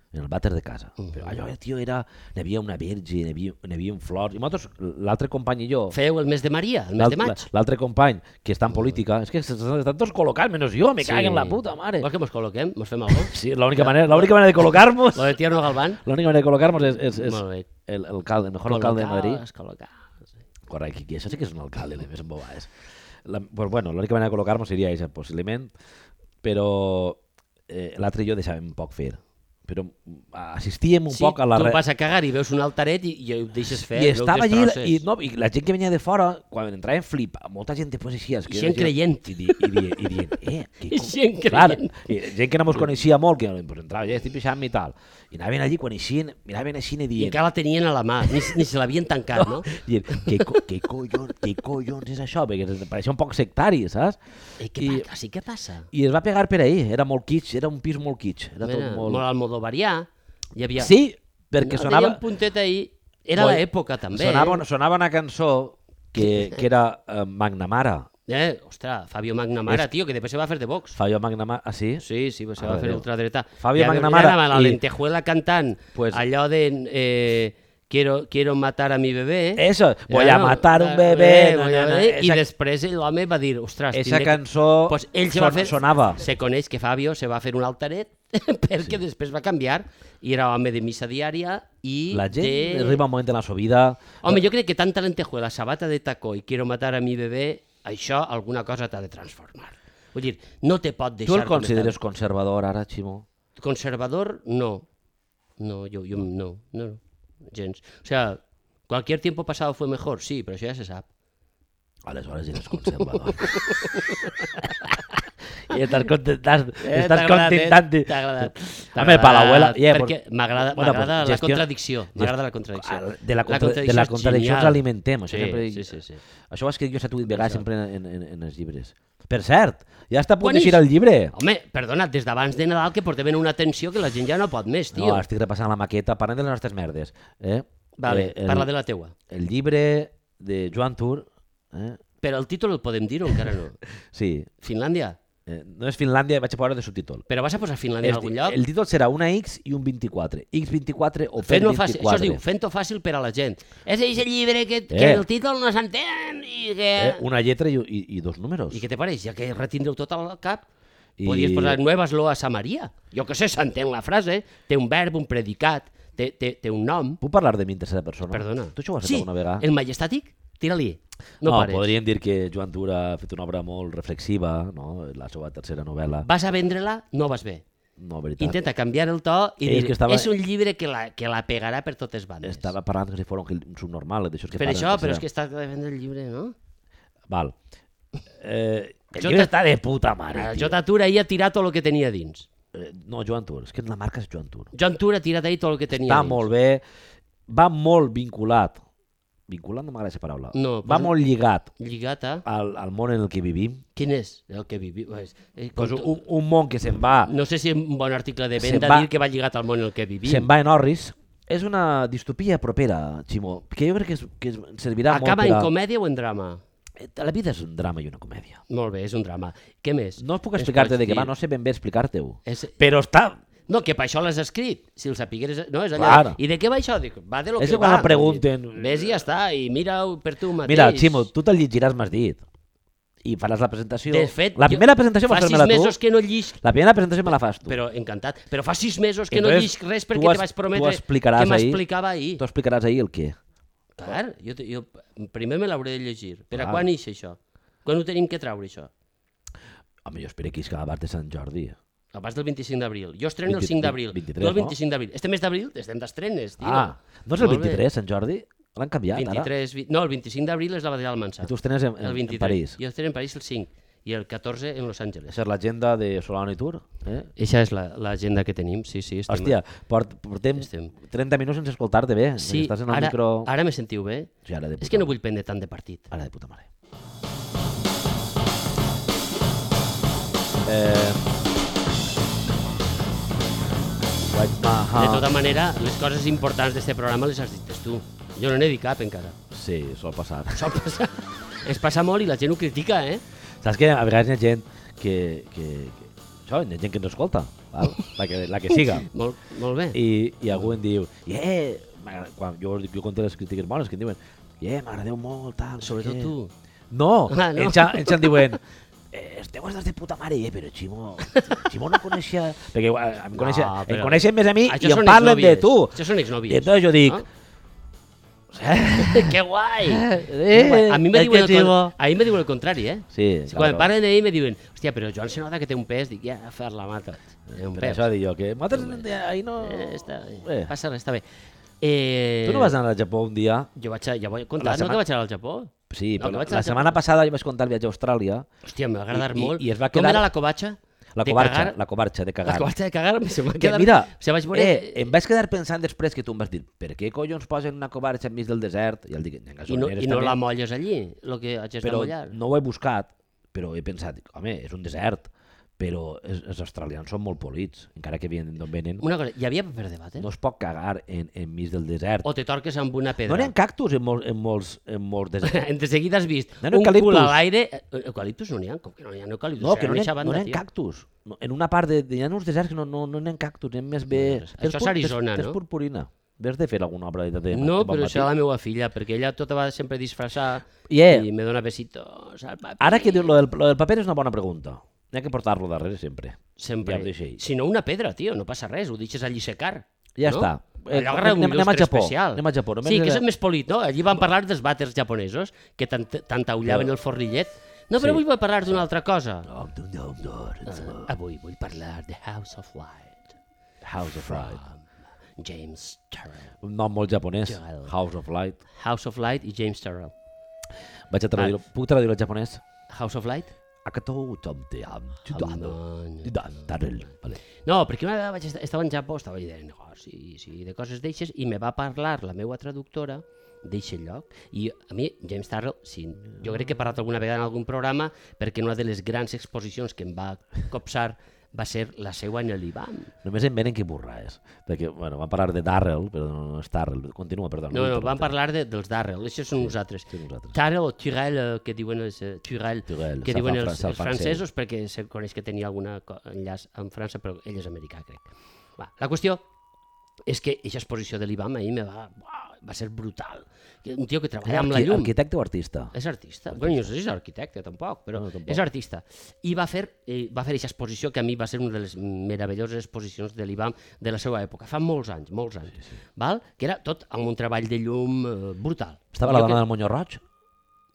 En el vàter de casa. Uh -huh. Però allò, tio, era... N'hi havia una verge, n'hi havia, havia flors... I nosaltres, l'altre company i jo... Feu el mes de Maria, el mes de maig. L'altre company, que està en política, és que estan tots col·locats, menys jo, me sí. caguen la puta, mare. Vols que mos col·loquem? Mos fem alguna cosa? Sí, l'única manera, l'única manera de col·locar-nos... Lo de Tierno Galván. L'única manera de col·locar-nos és, és, és el, el, alcalde, el mejor alcalde de Madrid. Col·locar, sí. Correcte, que això sí que és un alcalde, més embobades. La, pues bueno, l'única manera de col·locar-nos seria això, possiblement, però eh, l'altre i jo deixàvem poc fer. Però assistíem un sí, poc a la... Sí, tu vas a cagar i veus un altaret i, i ho deixes fer. I estava allí, i, no, i la gent que venia de fora, quan entraven flip, molta gent després així... I gent creient. I, i, i, i dient, eh... Que, I gent clar, creient. I gent que no mos coneixia molt, que pues, entrava, ja estic pixant i tal. I anaven allí, quan eixien, miraven així i dient... I encara la tenien a la mà, ni, ni se l'havien tancat, no? no? Dient, què, què, collons, què collons és això? Perquè pareixia un poc sectari, saps? I què, I, sí, què passa? I es va pegar per ahí, era molt kitsch, era un pis molt kitsch. Era Mira, tot molt... molt almodovarià. Hi havia... Sí, perquè no, sonava... Deia un puntet ahí, era Vol... l'època també. Sonava, sonava una cançó que, que era uh, Magnamara. Eh, ostres, Fabio Magnamara, es... tio, que després se va fer de Vox. Fabio Magnamara, ah, sí? Sí, sí, se va fer ultradreta. Fabio ja, Magnamara. Ja la i... lentejuela cantant, pues... allò de... Eh, quiero, quiero matar a mi bebé. Eso, voy ja, a matar un bebé. No, no, no, no, esa... I després l'home va dir, ostres... Esa cançó pues ell se va fer... sonava. Se coneix que Fabio se va fer un altaret perquè sí. Després va canviar i era home de missa diària i la gent de... arriba un moment en la seva vida... Home, jo crec que tanta lentejuela, sabata de tacó i quiero matar a mi bebé, això alguna cosa t'ha de transformar. Vull dir, no te pot deixar... Tu el consideres conservador ara, Ximo? Conservador, no. No, jo, jo no, no, no, gens. O sea, cualquier tiempo pasado fue mejor, sí, però això ja se sap. Aleshores eres conservador. I estàs contentant... Eh, estàs contentant... T'ha agradat. Home, per l'abuela... Yeah, perquè m'agrada bueno, pues, la gestió... contradicció. M'agrada la contradicció. De la, contra... la contradicció, de la contradicció ens alimentem. Sí, sempre... sí, sí, sí. Això ho has escrit jo set o vuit vegades sempre en, en, en els llibres. Per cert, ja està a punt d'eixir el llibre. Home, perdona, des d'abans de Nadal que portem una tensió que la gent ja no pot més, tio. No, estic repassant la maqueta, parlant de les nostres merdes. Eh? Vale, eh, el, parla de la teua. El llibre de Joan Tur... Eh? Però el títol el podem dir o encara no? Sí. Finlàndia? Eh, no és Finlàndia, vaig a posar de subtítol. Però vas a posar Finlàndia en algun lloc? El títol serà una X i un vint-i-quatre. X vint-i-quatre o Fent vint-i-quatre. Fàcil, això es diu, fent-ho fàcil per a la gent. És aquest llibre que, que eh. el títol no s'entén i que... Eh, una lletra i, i, i dos números. I què te pareix? Ja que retindreu tot al cap... I... Podies posar Nuevas Loas a Maria. Jo què sé, s'entén la frase, té un verb, un predicat, té, té, té un nom. Puc parlar de mi en tercera persona? Perdona. Tu això ho has fet Sí, alguna vegada? el majestàtic, tira-li. No, No, pares. podríem dir que Joan Tura ha fet una obra molt reflexiva, no? La seva tercera novel·la. Vas a vendre-la, no vas bé. No, veritat. Intenta canviar el to i És dir, que estava- és un llibre que la, que la pegarà per totes bandes. Estava parlant que si fos un, un subnormal, d'això que Per parlen això, en però és tercera. que està de vendre el llibre, no? Val. Eh, el Jo llibre te- està de puta mare, El tio. J. Tur ahir ha tirat tot el que tenia dins. Eh, no, Joan Tur, és que la marca és Joan Tur. Joan Tur ha tirat ahir tot el que tenia Està dins. molt bé, va molt vinculat, vinculat no m'agrada aquesta paraula, No, va pues- molt lligat Lligat a... al, al món en el que vivim. Quin és el que vivim? Eh, Pues com tu- un, un món que se'n va, No sé si és un bon article de Se'n venda va- dir que va lligat al món en el que vivim. se'n va en orris. És una distopia propera, Ximó, que jo crec que, és, que es- servirà Acaba molt en per a... comèdia o en drama? La vida és un drama i una comèdia. Molt bé, és un drama. Què més? No puc Ens explicar-te pots de què dir? va, no sé ben bé explicar-te-ho. És... Però està... No, que per això l'has escrit. Si el sapigueres... No, és allò... Clar. I de què va això? Dic, va de lo És que que quan va. em pregunten- Ves i ja està, i mira-ho per tu mateix. Mira, Ximo, tu te'l llegiràs, m'has dit. I faràs la presentació. De fet, la jo- primera presentació fa vas sis fer-me-la tu. mesos que no llis... La primera presentació me la fas tu. Però encantat. Però fa sis mesos que no Entonces, llis res tu perquè has- te vaig tu prometre explicaràs que ahir- m'explicava ahir. Tu explicaràs ahir el què. Clar, jo, te- jo primer me l'hauré de llegir. Per a Clar. quan ix això? Quan ho tenim que treure, això? Home, jo espero que isca abans de Sant Jordi. Abans del vint-i-cinc d'abril. Jo estreno el vint- cinc d'abril. vint-i-tres, No el no? vint-i-cinc d'abril. Este mes d'abril estem d'estrenes, tio. Ah, no és el Molt bé. vint-i-tres, Sant Jordi? L'han canviat, vint-i-tres, vi... No, el vint-i-cinc d'abril és la Batalla del Mansà. ara. I tu estrenes en, El en, en vint-i-tres. París. Jo estreno en París el cinc i el catorze en Los Angeles. Això és l'agenda de Solano i Tour. Eh? Eixa és la- l'agenda que tenim, sí, sí. Estem... Hòstia, port, portem Estem. trenta minuts sense escoltar-te bé. Sí, Estàs en el ara, micro... ara me sentiu bé? Sí, ara de puta És que no mare. vull prendre tant de partit. Ara de puta mare. Eh... White De Maha. tota manera, les coses importants d'aquest programa les has dit tu. Jo no n'he dit cap encara. Sí, sol passar. Sol passar. Es passa molt i la gent ho critica, eh? Saps que a vegades hi ha gent que... que, que això, hi ha gent que ens escolta, val? La, que, la que siga. Molt, molt bé. I, i algú em diu, yeah, m'agrada- quan jo, jo conté les crítiques bones, que em diuen, yeah, m'agradeu molt, tal, no sé Sobretot què." tu. No, Ah, no. ells, ja- ells em diuen, eh, esteu estàs de puta mare, eh, però Ximo, Ximo no coneixia... Perquè eh, em, coneixen, No, em però- coneixen més a mi Això i em són parlen de exnòvies. tu. Això són I exnòvies. entonces jo dic, No? Que guai! eh, A mi me és diuen que el, Ximo... con- a mi me diuen el contrari, eh? Sí, Si quan claro. em parlen d'ell me diuen, hòstia, però Joan se nota que té un pes. Dic, ja, a fer la mata. Té un Per pes. això dic jo, que nosaltres ahir no... Eh, està, Eh. passa res, està bé. Eh, Tu no vas anar al Japó un dia? Jo vaig, a, ja vaig contar, La no setmana- que vaig anar al Japó? Sí, No, que però vaig anar la al setmana Japó. passada jo vaig contar el viatge a Austràlia. Hòstia, m'ha agradat I- i- molt. i es va Com quedar- era la covatxa? La De covarxa, cagar? la covarxa de cagar. La covatxa de cagar se m'ha Que quedat... mira, o sigui, vaig veure... eh, em vaig quedar pensant després que tu em vas dir per què collons posen una covarxa enmig del desert? I el dic, en I no, gasolineres i no també. la molles allí, el que haig de Però mollar. no ho he buscat, però he pensat, home, és un desert, però els, els australians són molt polits, encara que vienen d'on venen. Una cosa, hi havia paper de batre? No es pot cagar en, enmig del desert. O te torques amb una pedra? No n'hi ha cactus en, molts, en, molts, en molts deserts. De seguida has vist No, un eucaliptus. cul a l'aire... Eh, Eucaliptus no n'hi ha? Com que no n'hi ha eucaliptus? No, que Serà no n'hi eixa ha, banda, no n'hi ha tio. cactus. No, en una part de, hi ha uns deserts que no, no, no n'hi ha cactus, n'hi ha més bé... Això és pur- Arizona, tens no? purpurina. Ves de fer alguna obra de, de No, de bon però matí. això la meva filla, perquè ella tota va sempre disfressar Yeah. i me dona besitos al papi. Ara que diu, lo del, lo del paper és una bona pregunta. N'hi ha que portar-lo darrere sempre. Sempre. Ja ho deixo ahí. Si no, una pedra, tio, no passa res, ho deixes allí secar. Ja no? està. Eh, Allò agarra un anem- anem a il·lustre Japó, especial. anem a Japó, només Sí, que era- és més polit, no? Allí van parlar dels vàters japonesos, que tant, tant taullaven Però- el forrillet. No, però Sí. avui vull parlar d'una altra cosa. No, no, no, no, no. Ah, avui vull parlar de House of Light, House of Light. James Turrell. Un nom molt japonès. Joel. House of Light. House of Light i James Turrell. Vaig a traduir-ho. Puc traduir-ho al japonès? House of Light? Akato Tomteam. Chudano. no. Chudan, Tarel. Vale. No, perquè una vegada vaig estar, estava en Japó, estava allà de negocis i de coses d'eixes, i me va parlar la meva traductora d'eixe lloc. I a mi, James Turrell, sí, jo crec que he parlat alguna vegada en algun programa, perquè una de les grans exposicions que em va copsar va ser la seua en l'Ivan. Només em venen que burraes. Perquè, bueno, van parlar de Darrell, però no és Darrell. Continua, perdó. No, vull no, interrompre. van parlar de, dels Darrell, això són nosaltres. Sí, nosaltres. Turrell o Turrell, eh, que diuen els, eh, Turrell, Turrell, que se'l diuen fa els, fran- se'l els fan francesos, perquè se coneix que tenia algun enllaç amb França, però ell és americà, crec. Va, la qüestió és que aquesta exposició de l'I B A M ahir me va, va ser brutal. Un tio que treballa Era amb la arqui- llum. arquitecte o artista? És artista. Bueno, no sé si és arquitecte, tampoc, però No, tampoc. és artista. I va fer eh, va fer aquesta exposició que a mi va ser una de les meravelloses exposicions de l'I B A M de la seva època, fa molts anys, molts anys, sí, sí. Val? Que era tot amb un treball de llum eh, brutal. Estava Jo la dona que... del Moño Roig?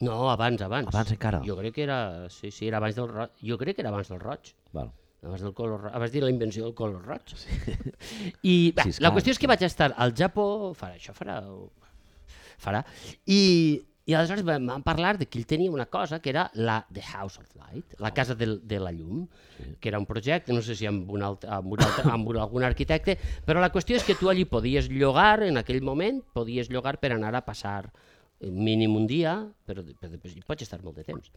No, abans, abans. Abans encara? Jo crec que era... Sí, sí, era abans del roig. Jo crec que era abans del roig. Val. Abans del color roig. Abans de la invenció del color roig. Sí. I bé, Sí, la esclar, qüestió és que vaig estar al Japó, farà això, farà... farà, i, i aleshores vam vam parlar de que ell tenia una cosa que era la The House of Light, la casa de, de la llum, sí. que era un projecte, no sé si amb, un altre, amb, un altre, amb un, algun arquitecte, però la qüestió és que tu allí podies llogar, en aquell moment, podies llogar per anar a passar mínim un dia, però, però després hi pots estar molt de temps.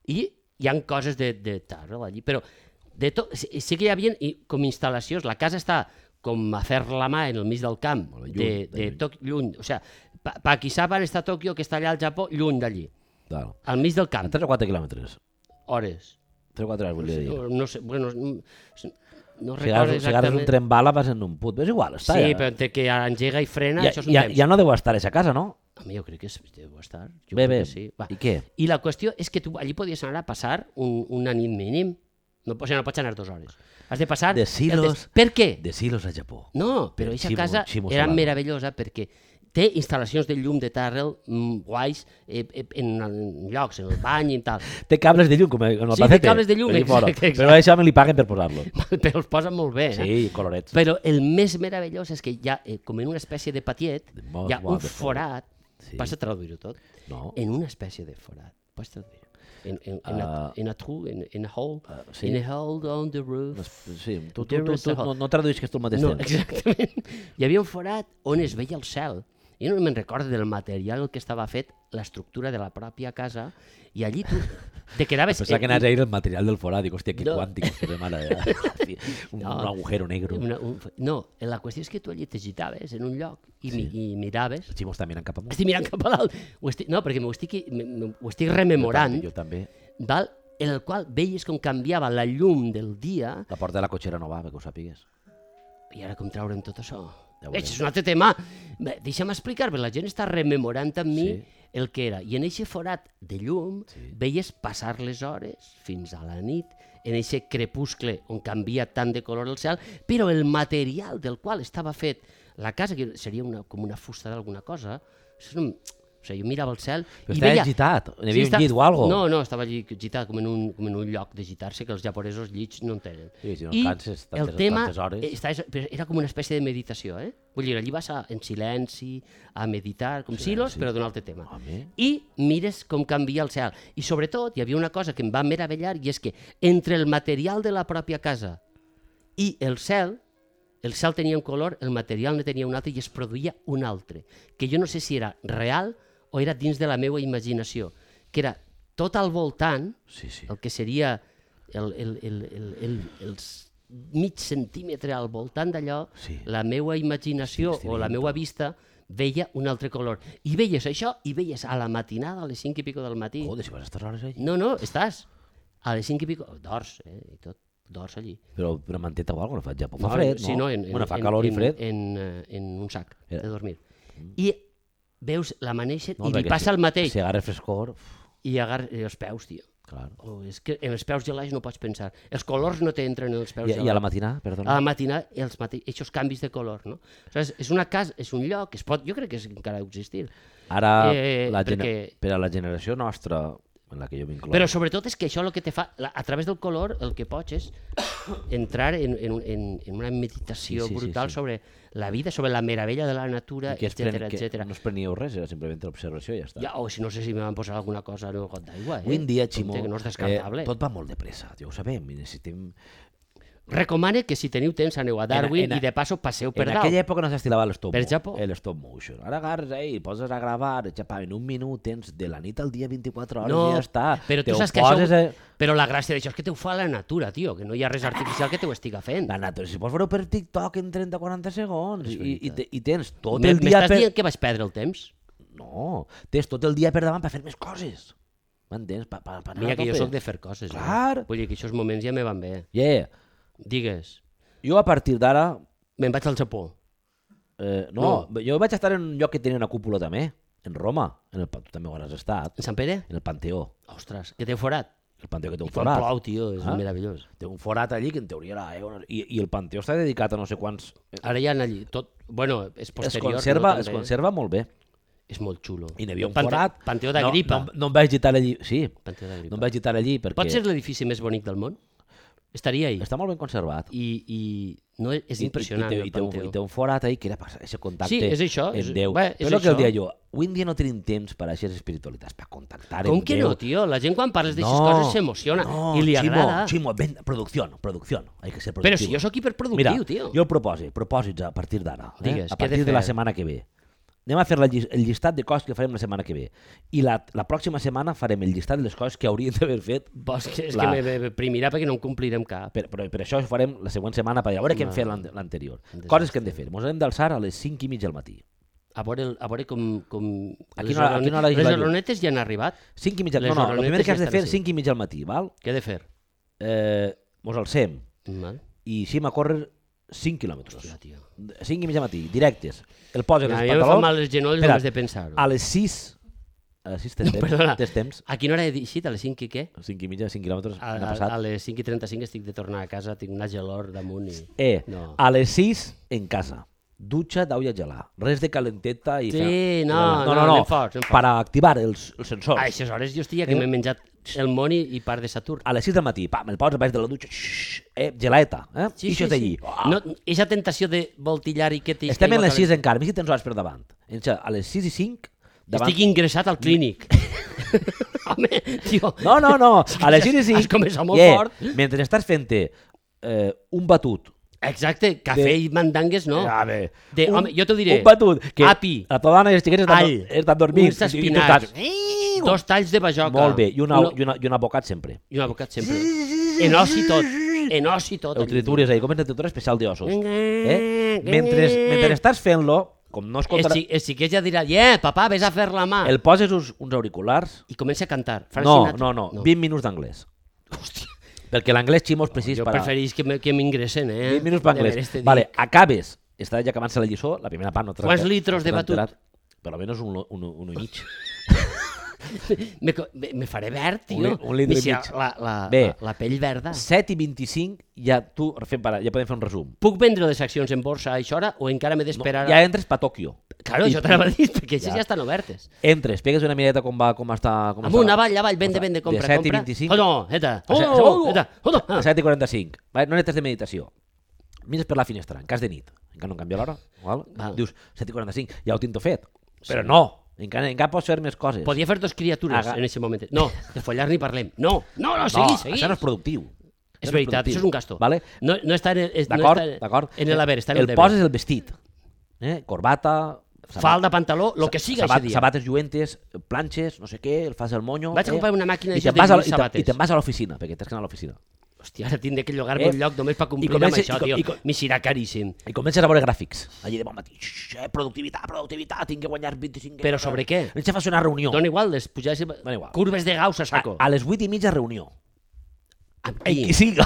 I hi han coses de, de Tarrell allí, però de tot, sí, sí que hi havia i, com instal·lacions, la casa està com a fer la mà en el mig del camp, Lluny, de, de de lluny. Tok- lluny, o sigui, pa, Pakisaban està a Tòquio, que està allà al Japó, lluny d'allí, Val. al mig del A camp, tres o quatre quilòmetres. hores. tres o quatre hores, volia dir. No, no sé, bueno, no, no Si recordo agafes, si agafes exactament. un tren bala vas en un put, és igual, està Sí, ja. però entre que engega i frena, ja, això és un ja, temps. ja no deu estar a aquesta casa, no? A mi jo crec que és, deu estar. Jo Bé, crec bé. que sí. Va. I què? I la qüestió és que tu allí podies anar a passar un, una nit mínim. No, o sigui, no pots anar dues hores. Has de passar... De silos. Per què? De silos a Japó. No, però Del aquesta Chimo- casa Chimo era Solano. meravellosa perquè té instal·lacions de llum de Tarrell mm, guais eh, eh, en, en llocs, en el bany i tal. Té cables de llum, com en el Sí, té Pacete. cables de llum, allí fora. exacte, exacte. Però això me li paguen per posar-lo. Però els posen molt bé. Eh? Sí, colorets. Però el més meravellós és que hi ha, eh, com en una espècie de patiet, Molt hi ha un guapo. forat, Sí. vas a traduir-ho tot, No. en una espècie de forat, pots traduir-ho. En, en, en, a, Ah. en a true, en, en a hole, Ah, sí. in a hole on the roof. Sí, tu, tu, There tu, is tu a hole. no, no traduïsques tu el mateix No, temps. exactament. Hi havia un forat on es veia el cel. Jo no me'n recordo del material en què estava fet l'estructura de la pròpia casa i allí tu te quedaves... Pensava que anaves a ir el material del forat. Dic, hòstia, que No. quàntic. Que de mare, eh? un, No. un agujero negro. Una, un, no, la qüestió és que tu allí t'agitaves en un lloc i, mi, i miraves. Els ximos també mirant cap amunt. Estic mirant cap a dalt. Ho estic, no, perquè m'ho estic, me- me- ho estic rememorant, Jo també. val? En el qual veies com canviava la llum del dia La porta de la cotxera no va, perquè ho sàpigues. i ara com traure'm tot això. Ja ho Veig, veurem. és un altre tema. Bé, deixa'm explicar, perquè la gent està rememorant amb mi Sí. el que era. I en aquest forat de llum Sí. veies passar les hores fins a la nit, en aquest crepuscle on canvia tant de color el cel, però el material del qual estava fet la casa, que seria una, com una fusta d'alguna cosa, això no, o sigui, jo mirava el cel Però i estava veia... agitat. Hi havia està- un llit o algo. No, no, estava allí agitat com en un, com en un lloc d'agitar-se que els japonesos llits no en tenen. Sí, si no I canses tantes- el tema tantes hores. eh, estava, però era com una espècie de meditació, eh? Vull dir, allí vas a, en silenci, a meditar, com silos, però d'un altre tema. Home. I mires com canvia el cel. I sobretot hi havia una cosa que em va meravellar i és que entre el material de la pròpia casa i el cel, el cel tenia un color, el material ne tenia un altre i es produïa un altre, que jo no sé si era real o era dins de la meva imaginació, que era tot al voltant, Sí, sí. el que seria el, el, el, el, el, els mig centímetre al voltant d'allò, Sí. la meva imaginació Estic- estic o la veient-ho. meva vista veia un altre color. I veies això i veies a la matinada, a les cinc i pico del matí. Joder, si vas estar hores allí. No, no, estàs a les cinc i pico, dors, eh, i tot, dors allí. Però, però manteta o alguna cosa, no fa al Japó. Fa fred, no? Sí, no, en, en, bueno, fa en, calor en, i fred. En, en, en un sac Era- de dormir. I veus l'amanèixer No, i li perquè passa si- el mateix. Si agarra frescor, uf, I agarra els peus, tio. clar. Oh, és que en els peus gelats no pots pensar. Els colors no t'entren en els peus I, gelats. I a la matinada, perdona. A la matinada, els mate... aquests canvis de color, no? O sigui, és una casa, és un lloc que es pot, jo crec que és, encara deu existir. Ara, eh, la gener... perquè- per a la generació nostra, en la que jo m'incloc, Però sobretot és que això el que te fa, la, a través del color, el que pots és entrar en, en, un- en, en una meditació Sí, sí, sí, brutal sí. sobre la vida, sobre la meravella de la natura, I que, es etcètera, pren, que etcètera. no es preníeu res, era simplement l'observació i ja està. Ja, o si no sé si me van posar alguna cosa en el got d'aigua, eh? Avui en dia, Compte Ximo, que no és descartable. eh, tot va molt de pressa, ja ho sabem, i necessitem... Recomane que si teniu temps aneu a Darwin En- en- i de passo passeu per en dalt. aquella època no s'estilava l'stop Per mo- Japó. el stop motion. Ara agarres eh, i poses a gravar, xapa, en un minut tens de la nit al dia vint-i-quatre hores No, i ja està. però tu Te ho saps que poses, això... eh, Però la gràcia d'això és que te ho fa la natura, tio, que no hi ha res artificial que te ho estiga fent. La natura, si pots veure per TikTok en trenta o quaranta segons És i, i, veritat. te- i tens tot M- el dia M'estàs per... dient que vaig perdre el temps? No, tens tot el dia per davant per fer més coses. M'entens? Pa, pa, pa anar Mira a que jo tope. sóc de fer coses. Clar. Eh? Vull dir que aquests moments ja me van bé. Yeah. Digues, Jo a partir d'ara... me'n vaig al Japó. Eh, no, no, jo vaig estar en un lloc que tenia una cúpula també, en Roma. En el, tu també ho has estat. En Sant Pere? En el Panteó. Ostres, que té forat. El Panteó que té un I quan forat. plou, tio, és Ah? meravellós. Té un forat allí que en teoria era... Eh, i, I el Panteó està dedicat a no sé quants... Ara hi ha allí tot... Bueno, és Es posterior. conserva, no, es també. conserva molt bé. És molt xulo. I n'hi havia un Pante- forat. Panteó d'Agripa. No, no, no em vaig gitar allí. Sí, Panteó d'Agripa. no em vaig gitar allí perquè... Pot ser l'edifici més bonic del món? Estaria ahí. Està molt ben conservat. I, i no, és impressionant I, i, el i, té, un, Panteó. I té un forat ahí que era per aquest contacte Sí, és això, és- en Déu. bé, és Però el que el això. dia jo, avui en dia no tenim temps per a aquestes espiritualitats, per contactar Com amb que Déu. no, tio? La gent quan parles d'aixes coses s'emociona no, i li Ximo, agrada. Ximo, ven, producció, producció. Hay que ser productiu. Però si jo sóc hiperproductiu, Mira, tio. jo el propòsit, propòsits a partir d'ara, eh? Digues, a què he de partir de, la fer? setmana que ve. Anem a fer la, llis- el llistat de coses que farem la setmana que ve. I la, la pròxima setmana farem el llistat de les coses que hauríem d'haver fet. Vols que, és La- que me, me primirà perquè no en complirem cap. Per, però per això ho farem la següent setmana per a veure què hem Va. fet l'an- l'anterior. Un Coses que hem de fer. Ens hem d'alçar a les cinc i mig del matí. A veure, el- a veure com... com... A les quina hora- a quina hora hi les va llum? oronetes ja han arribat. cinc i mitja... Les No, no, el primer oronetes que has ja de fer estan és cinc i mig al matí, val? Què he de fer? Eh, mos alcem Val? i eixim a córrer cinc quilòmetres. Hòstia, tio. cinc i mig al matí, directes. El poses A els mi em fan pantalons... mal els genolls Espera, només de pensar-ho. A les sis... A les sis tens temps. Perdona. Tens temps. A quina hora he dit? A les cinc i què? cinc i mitja, cinc quilòmetres, A, n'ha a, passat. a les cinc i trenta-cinc estic de tornar a casa, tinc una gelor damunt i... Eh, No. a les sis en casa. Dutxa d'aigua gelada. Res de calenteta i... Sí, fe- no, no, no, no, no. anem forts, anem forts. Per activar els, els sensors. A aquestes hores jo estic que m'he menjat el món i, i part de Saturn. A les sis del matí, pam, el poses baix de la dutxa, xxxt, eh, gelaeta, eh? Sí, I això sí, d'allí. sí. No, eixa tentació de voltillar i que t'hi... Estem en les sis encara, més si tens hores per davant. Enxa, a les sis i cinc, davant... Estic ingressat al clínic. Home, tio... No, no, no, a les sis i cinc... Has començat molt yeah, fort. Mentre estàs fent-te eh, un batut... Exacte, cafè De- i mandangues, no. A veure, De, home, jo t'ho diré. Un batut, que Api, la tua dona i els xiquets estan, all, estan dormint. uns i- i tu espinacs, estàs- dos talls de bajoca. Molt bé, i, una, uno- i, una, i un abocat sempre. I un abocat sempre. En os i tot. En os i tot. El tritures ahí, com és la tritura especial d'ossos. Eh? Eh? Mentre, mentre estàs fent-lo, com no El, escoltarà... xi, el xiquet ja dirà, yeah, papà, vés a fer la mà. El poses uns, uns auriculars... I comença a cantar. Frank No, Sinatra. no, no, vint minuts d'anglès. Hòstia, Perquè l'anglès ximo és precís jo per a... preferís que me- que m'ingressen, eh? vint minuts per De anglès. veres te dic. Vale, acabes, està ja acabant-se la lliçó, la primera part no te l'has- Quants litros de no te l'has batut? enterat. Per almenys un, un, un, un i mig. Me, co- me, me faré verd, tio. Un li- un litre i Si mig. La, la, Bé. la, la pell verda. set i vint-i-cinc, ja tu, fem para, ja podem fer un resum. Puc vendre les accions en borsa a això hora o encara m'he No, d'esperar? ja a... entres pa Tòquio. Claro, això t'anava a dir, perquè així Ja. ja estan obertes. Entres, pegues una mireta com va, com està... Com Amunt, està, avall, avall, vende, vende, compra, de set i compra. vint-i-cinc. Oh, no, eta. A Oh, set- no, oh, eta. Oh, no. A set i quaranta-cinc. Vale? No necessites de meditació. Mires per la finestra, en cas de nit. Encara no em canvia l'hora. Val? Val. Dius, set i quaranta-cinc, ja ho tinc tot fet. Però no, encara, encara pots fer més coses. Podia fer dos criatures Aga- en aquest moment. No, de follar ni parlem. No, no, no, no, seguís, seguís. això no és productiu. És Això no veritat, productiu. això és un gasto. Vale? No, no està en el, és- no D'acord, està d'acord. en el haver, està en el, el deber. poses el vestit. Eh? Corbata, sabat- Falda, pantaló, lo que siga sabat, aquest dia. sabates lluentes, planxes, no sé què, el fas el monyo... Vaig a comprar una màquina i d'això te'n vas de a- lluir i te- sabates. I te'n vas a l'oficina, perquè tens que anar a l'oficina. Hòstia, ara tindré que llogar-me Eh? un lloc només per complir I comença- amb això, i co- tio. i co- M'hi serà caríssim. I comences a veure gràfics. Allí de bon matí. Xx, eh, productivitat, productivitat, tinc que guanyar vint-i-cinc... Però sobre què? Ens fas una reunió. Dona igual, les pujades... Dona igual. Curves de Gauss a A, saco. a les vuit i mitja reunió. Amb Ei, qui? qui siga.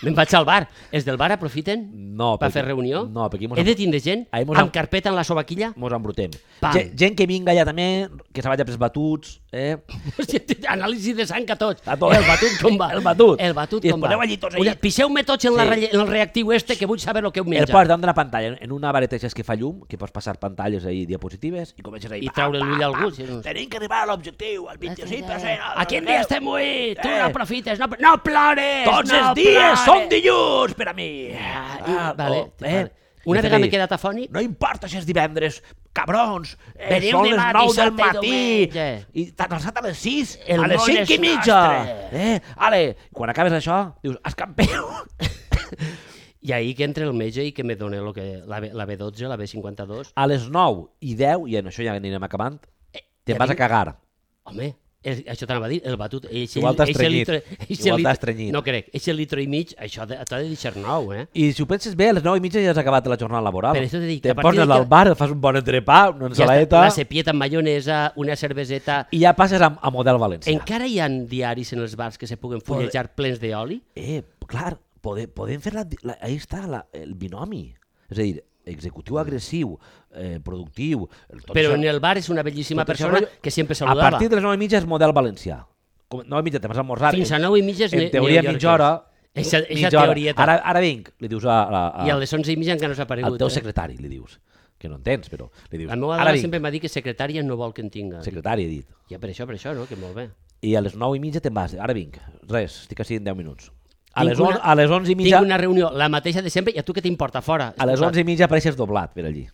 Me'n vaig al bar. Els del bar aprofiten No, per perquè- fer reunió? No, perquè mos, He de tindre gent Ahí mos amb am- carpeta en la sobaquilla? mos embrutem. Pam. Gent, gent que vinga ja també, que se vagi a pels batuts, eh? Hòstia, anàlisi de sang a tots. A tots. El batut com va? El batut. El batut I com es va? poseu allí tots allí. Una- Piseu-me tots en, la, Sí. relle- en el reactiu este que vull saber el que heu El menjat. poses davant de la pantalla, en una vareta que fa llum, que pots passar pantalles ahí, diapositives, i comences ahí... I traure l'ull a algú, si no- Tenim que arribar a l'objectiu, al vint-i-cinc per cent. A quin dia estem avui? Tu Eh. no aprofites, no, no plores! Tots no els dies plores! són dilluns per a mi. Ah, Ah, vale, oh, vale. Una vegada m'he quedat afònic. No importa si és divendres, cabrons, eh, Veniu són les dimarts, nou del dissabte i matí, diumenge. i t'has alçat a les sis, El a les món cinc és i mitja. nostre. Eh, ale, quan acabes això, dius, es campió. I ahir que entra el metge i que me dona lo que, la, B- la B dotze, la B cinquanta-dos. A les nou i deu, i en això ja anirem acabant, te'n ja vas a vinc. cagar. Home, el, això t'anava a dir, el batut... Eixe, Igual t'has eixe trenyit. litre- eixe Igual litre- t'has trenyit. No crec, eixe litre i mig, això de- t'ha de deixar nou, eh? I si ho penses bé, a les nou i mitja ja has acabat la jornada laboral. Per això t'he dit que Te a partir poses de que- al bar, fas un bon entrepà, una Ja està, ensaladeta, la cepieta amb maionesa, una cerveseta... i ja passes a, a model valencià. Encara hi ha diaris en els bars que se puguen fullejar plens d'oli? Eh, clar, podem, podem fer la, la... Ahí està la, el binomi. És a dir, executiu agressiu, eh, productiu... Tot Però això, en el bar és una bellíssima tot això persona rotllo- que sempre a saludava. partir de les nou i mitja és model valencià. Com, nou i mitja te vas a almorzar. Fins a en- nou i mitja és En ne- teoria neoyorquès. mitja hora... Eixa, eixa mitja hora. teorieta. Ara, ara vinc, li dius a, a, a, I a les onze i mitja encara no s'ha aparegut. al teu eh? secretari, li dius. Que no entens, però li dius. La meva Ara dona vinc, sempre m'ha dit que secretària no vol que en tinga. secretari, he dit. Ja per això, per això, no? Que molt bé. I a les nou i mitja te'n vas. Ara vinc. Res, estic així en deu minuts. A Tinc les, una- on, a les onze i mitja... Tinc una reunió, la mateixa de sempre, i a tu què t'importa, fora? A les onze i mitja apareixes doblat per allí.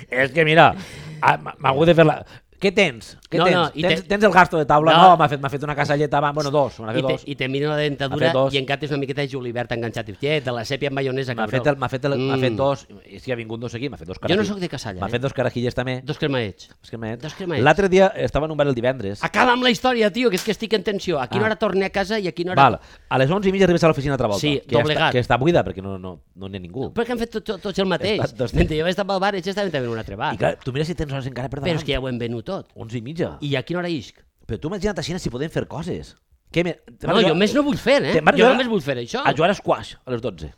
És que mira, ah, m'ha m'ha hagut de fer la... Què tens? Què No, tens? no, i tens, te- tens el gasto de taula? No. No, m'ha fet, m'ha fet una casalleta, va, bueno, dos, m'ha I fet te, dos. I te mira la M'ha dentadura fet dos. i encantes una miqueta de julivert enganxat. I dius, de la sèpia amb maionesa, M'ha cabró. fet, el, m'ha fet, el, m'ha fet Mm. dos, i si ha vingut no sé qui, m'ha fet dos Jo no carajilles. sóc de Casalla, M'ha eh? fet dos carajilles també. Dos cremaets. Dos cremets. Dos cremets. L'altre dia estava en un bar el divendres. Acaba amb la història, tio, que és que estic en tensió. A quina Ah. hora torne a casa i a quina hora... Val, a les onze i mitja arribes a l'oficina altra volta. Sí, que ja doblegat. està, que està buida perquè no, no, no n'hi ha ningú. Perquè han fet tot, tot, tots el mateix. Estat dos- Mentre jo vaig estar pel bar, ells estaven també en un altre bar. I clar, tu mira si tens hores encara per Però davant. és que ja ho hem venut tot. onze i mitja. I a quina hora isc? Però tu imagina't així si podem fer coses. Què me... te'n No, vas a jo jugar- més no vull fer, eh? te'n vas a Jo jugar- només vull fer això. A jugar a squash a les dotze.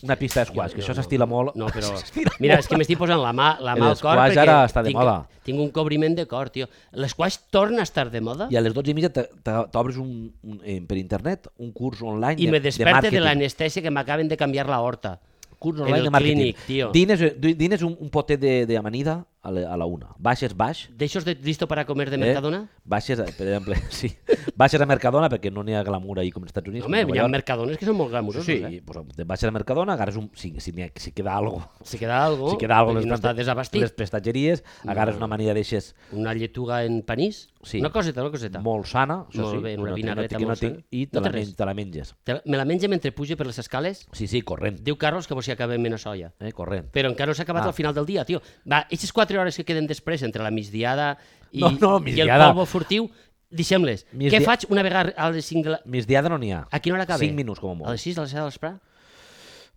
Una pista de squash, que això s'estila molt. No, però... S'estila Mira, molt. és que m'estic posant la mà, la El mà al cor squash perquè ara està de tinc, moda. tinc un cobriment de cor, tio. L'esquash torna a estar de moda I a les dotze i mitja te- te- t'obres un, un, eh, per internet un curs online i de, me de desperte de màrqueting. l'anestèsia que m'acaben de canviar la horta. Curs en online el de màrqueting. clínic, tio. Dines, du- dines un, un potet de- d'amanida a, la- a la una. Baixes baix. D'aixòs de listo para comer de eh, Mercadona? Baixes, a- per exemple, sí. Baixes a Mercadona perquè no n'hi ha glamour ahir com als Estats Units. Home, com a hi ha Nova York. mercadones que són molt glamurosos, Sí, eh? pues, te baixes a Mercadona, agarres un... Si, si, n'hi ha- si queda algo, Si queda algo, si queda algo i les no està les desabastit. prestatgeries, agarres una amanida d'eixes Una lletuga en panís? Sí. Una coseta, una coseta. molt sana, això Molt sí, bé, una no, tinc- no, vinagreta tinc- no molt tinc, sana. i te, No té la, res. men, te la menges. Te- Me la menja mentre puge per les escales? Sí, sí, corrent, Diu Carlos que vos hi acabem en soia. eh, corrent. Però encara no s'ha acabat Ah. al final del dia, tio. Va, aquestes quatre hores que queden després entre la migdiada i, No, no, i el migdiada. polvo furtiu, deixem-les. Migdia- Què faig una vegada a les cinc de la... Migdiada no n'hi ha. A quina hora acaba? cinc minuts com a A molt. les sis, a les set de l'esprà?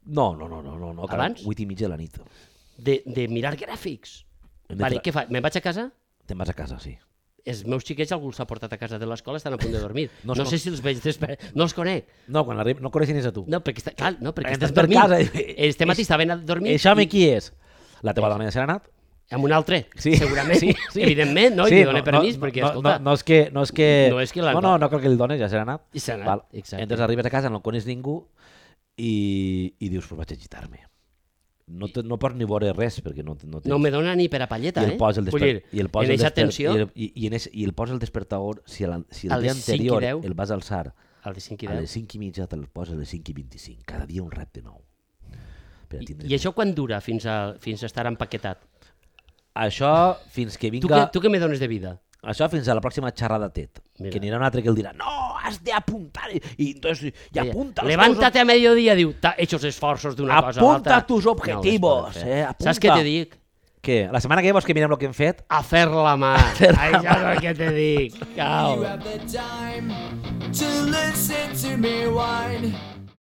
No, no, no, no, no, no cal, Abans? vuit i mitja de la nit. De, de mirar gràfics. Hem de Vale, tra- què faig? Me'n vaig a casa? Te'n vas a casa, sí. Els meus xiquets algú els ha portat a casa de l'escola, estan a punt de dormir. No No, es sé con- si els veig després. No els conec. No, quan arriba, no coneixen a tu. No, perquè, està, clar, no, perquè Entres estan per dormint. casa i- Este matí estaven a dormir Això i, i qui és? La teva dona ja se n'ha anat? amb un altre, Sí, segurament. sí, sí. Evidentment, no? I li dona permís, perquè, no, escolta... no, no, és que, no és que... No és que la- no, no, no cal que li dones, ja se n'ha anat. I se n'ha anat, Val. exacte. Entres, arribes a casa, no coneix ningú i, i dius, pues vaig a agitar-me. No, te, no pots ni veure res, perquè no, no tens... No me dona ni per a palleta, I el eh? posa el Vull desper... dir, i el posa en el eixa desper... tensió, I el, i, i, en ese, i el posa el despertador, si, el, si A el dia les cinc i anterior deu. el vas alçar al de cinc i a deu. les cinc i mitja, te'l posa a les cinc i vint-i-cinc. Cada dia un repte nou. Per a I, tindre- I això quan dura fins a, fins a estar empaquetat? Això fins que Tu, vinga... què, tu què me dones de vida? Això fins a la pròxima xerrada TED. Mira. Que anirà un altre que el dirà, no, has de apuntar. I, i entonces, y apunta. los Levántate a mediodía, diu, "Ta- hechos esforços d'una cosa a Apunta l'altra". tus objetivos, No les poden fer. eh, apunta. Saps què te dic? Què? La setmana que ve vols que mirem el que hem fet? A fer la mà. Això és el que te dic. Cau. You have the time to listen to me whine.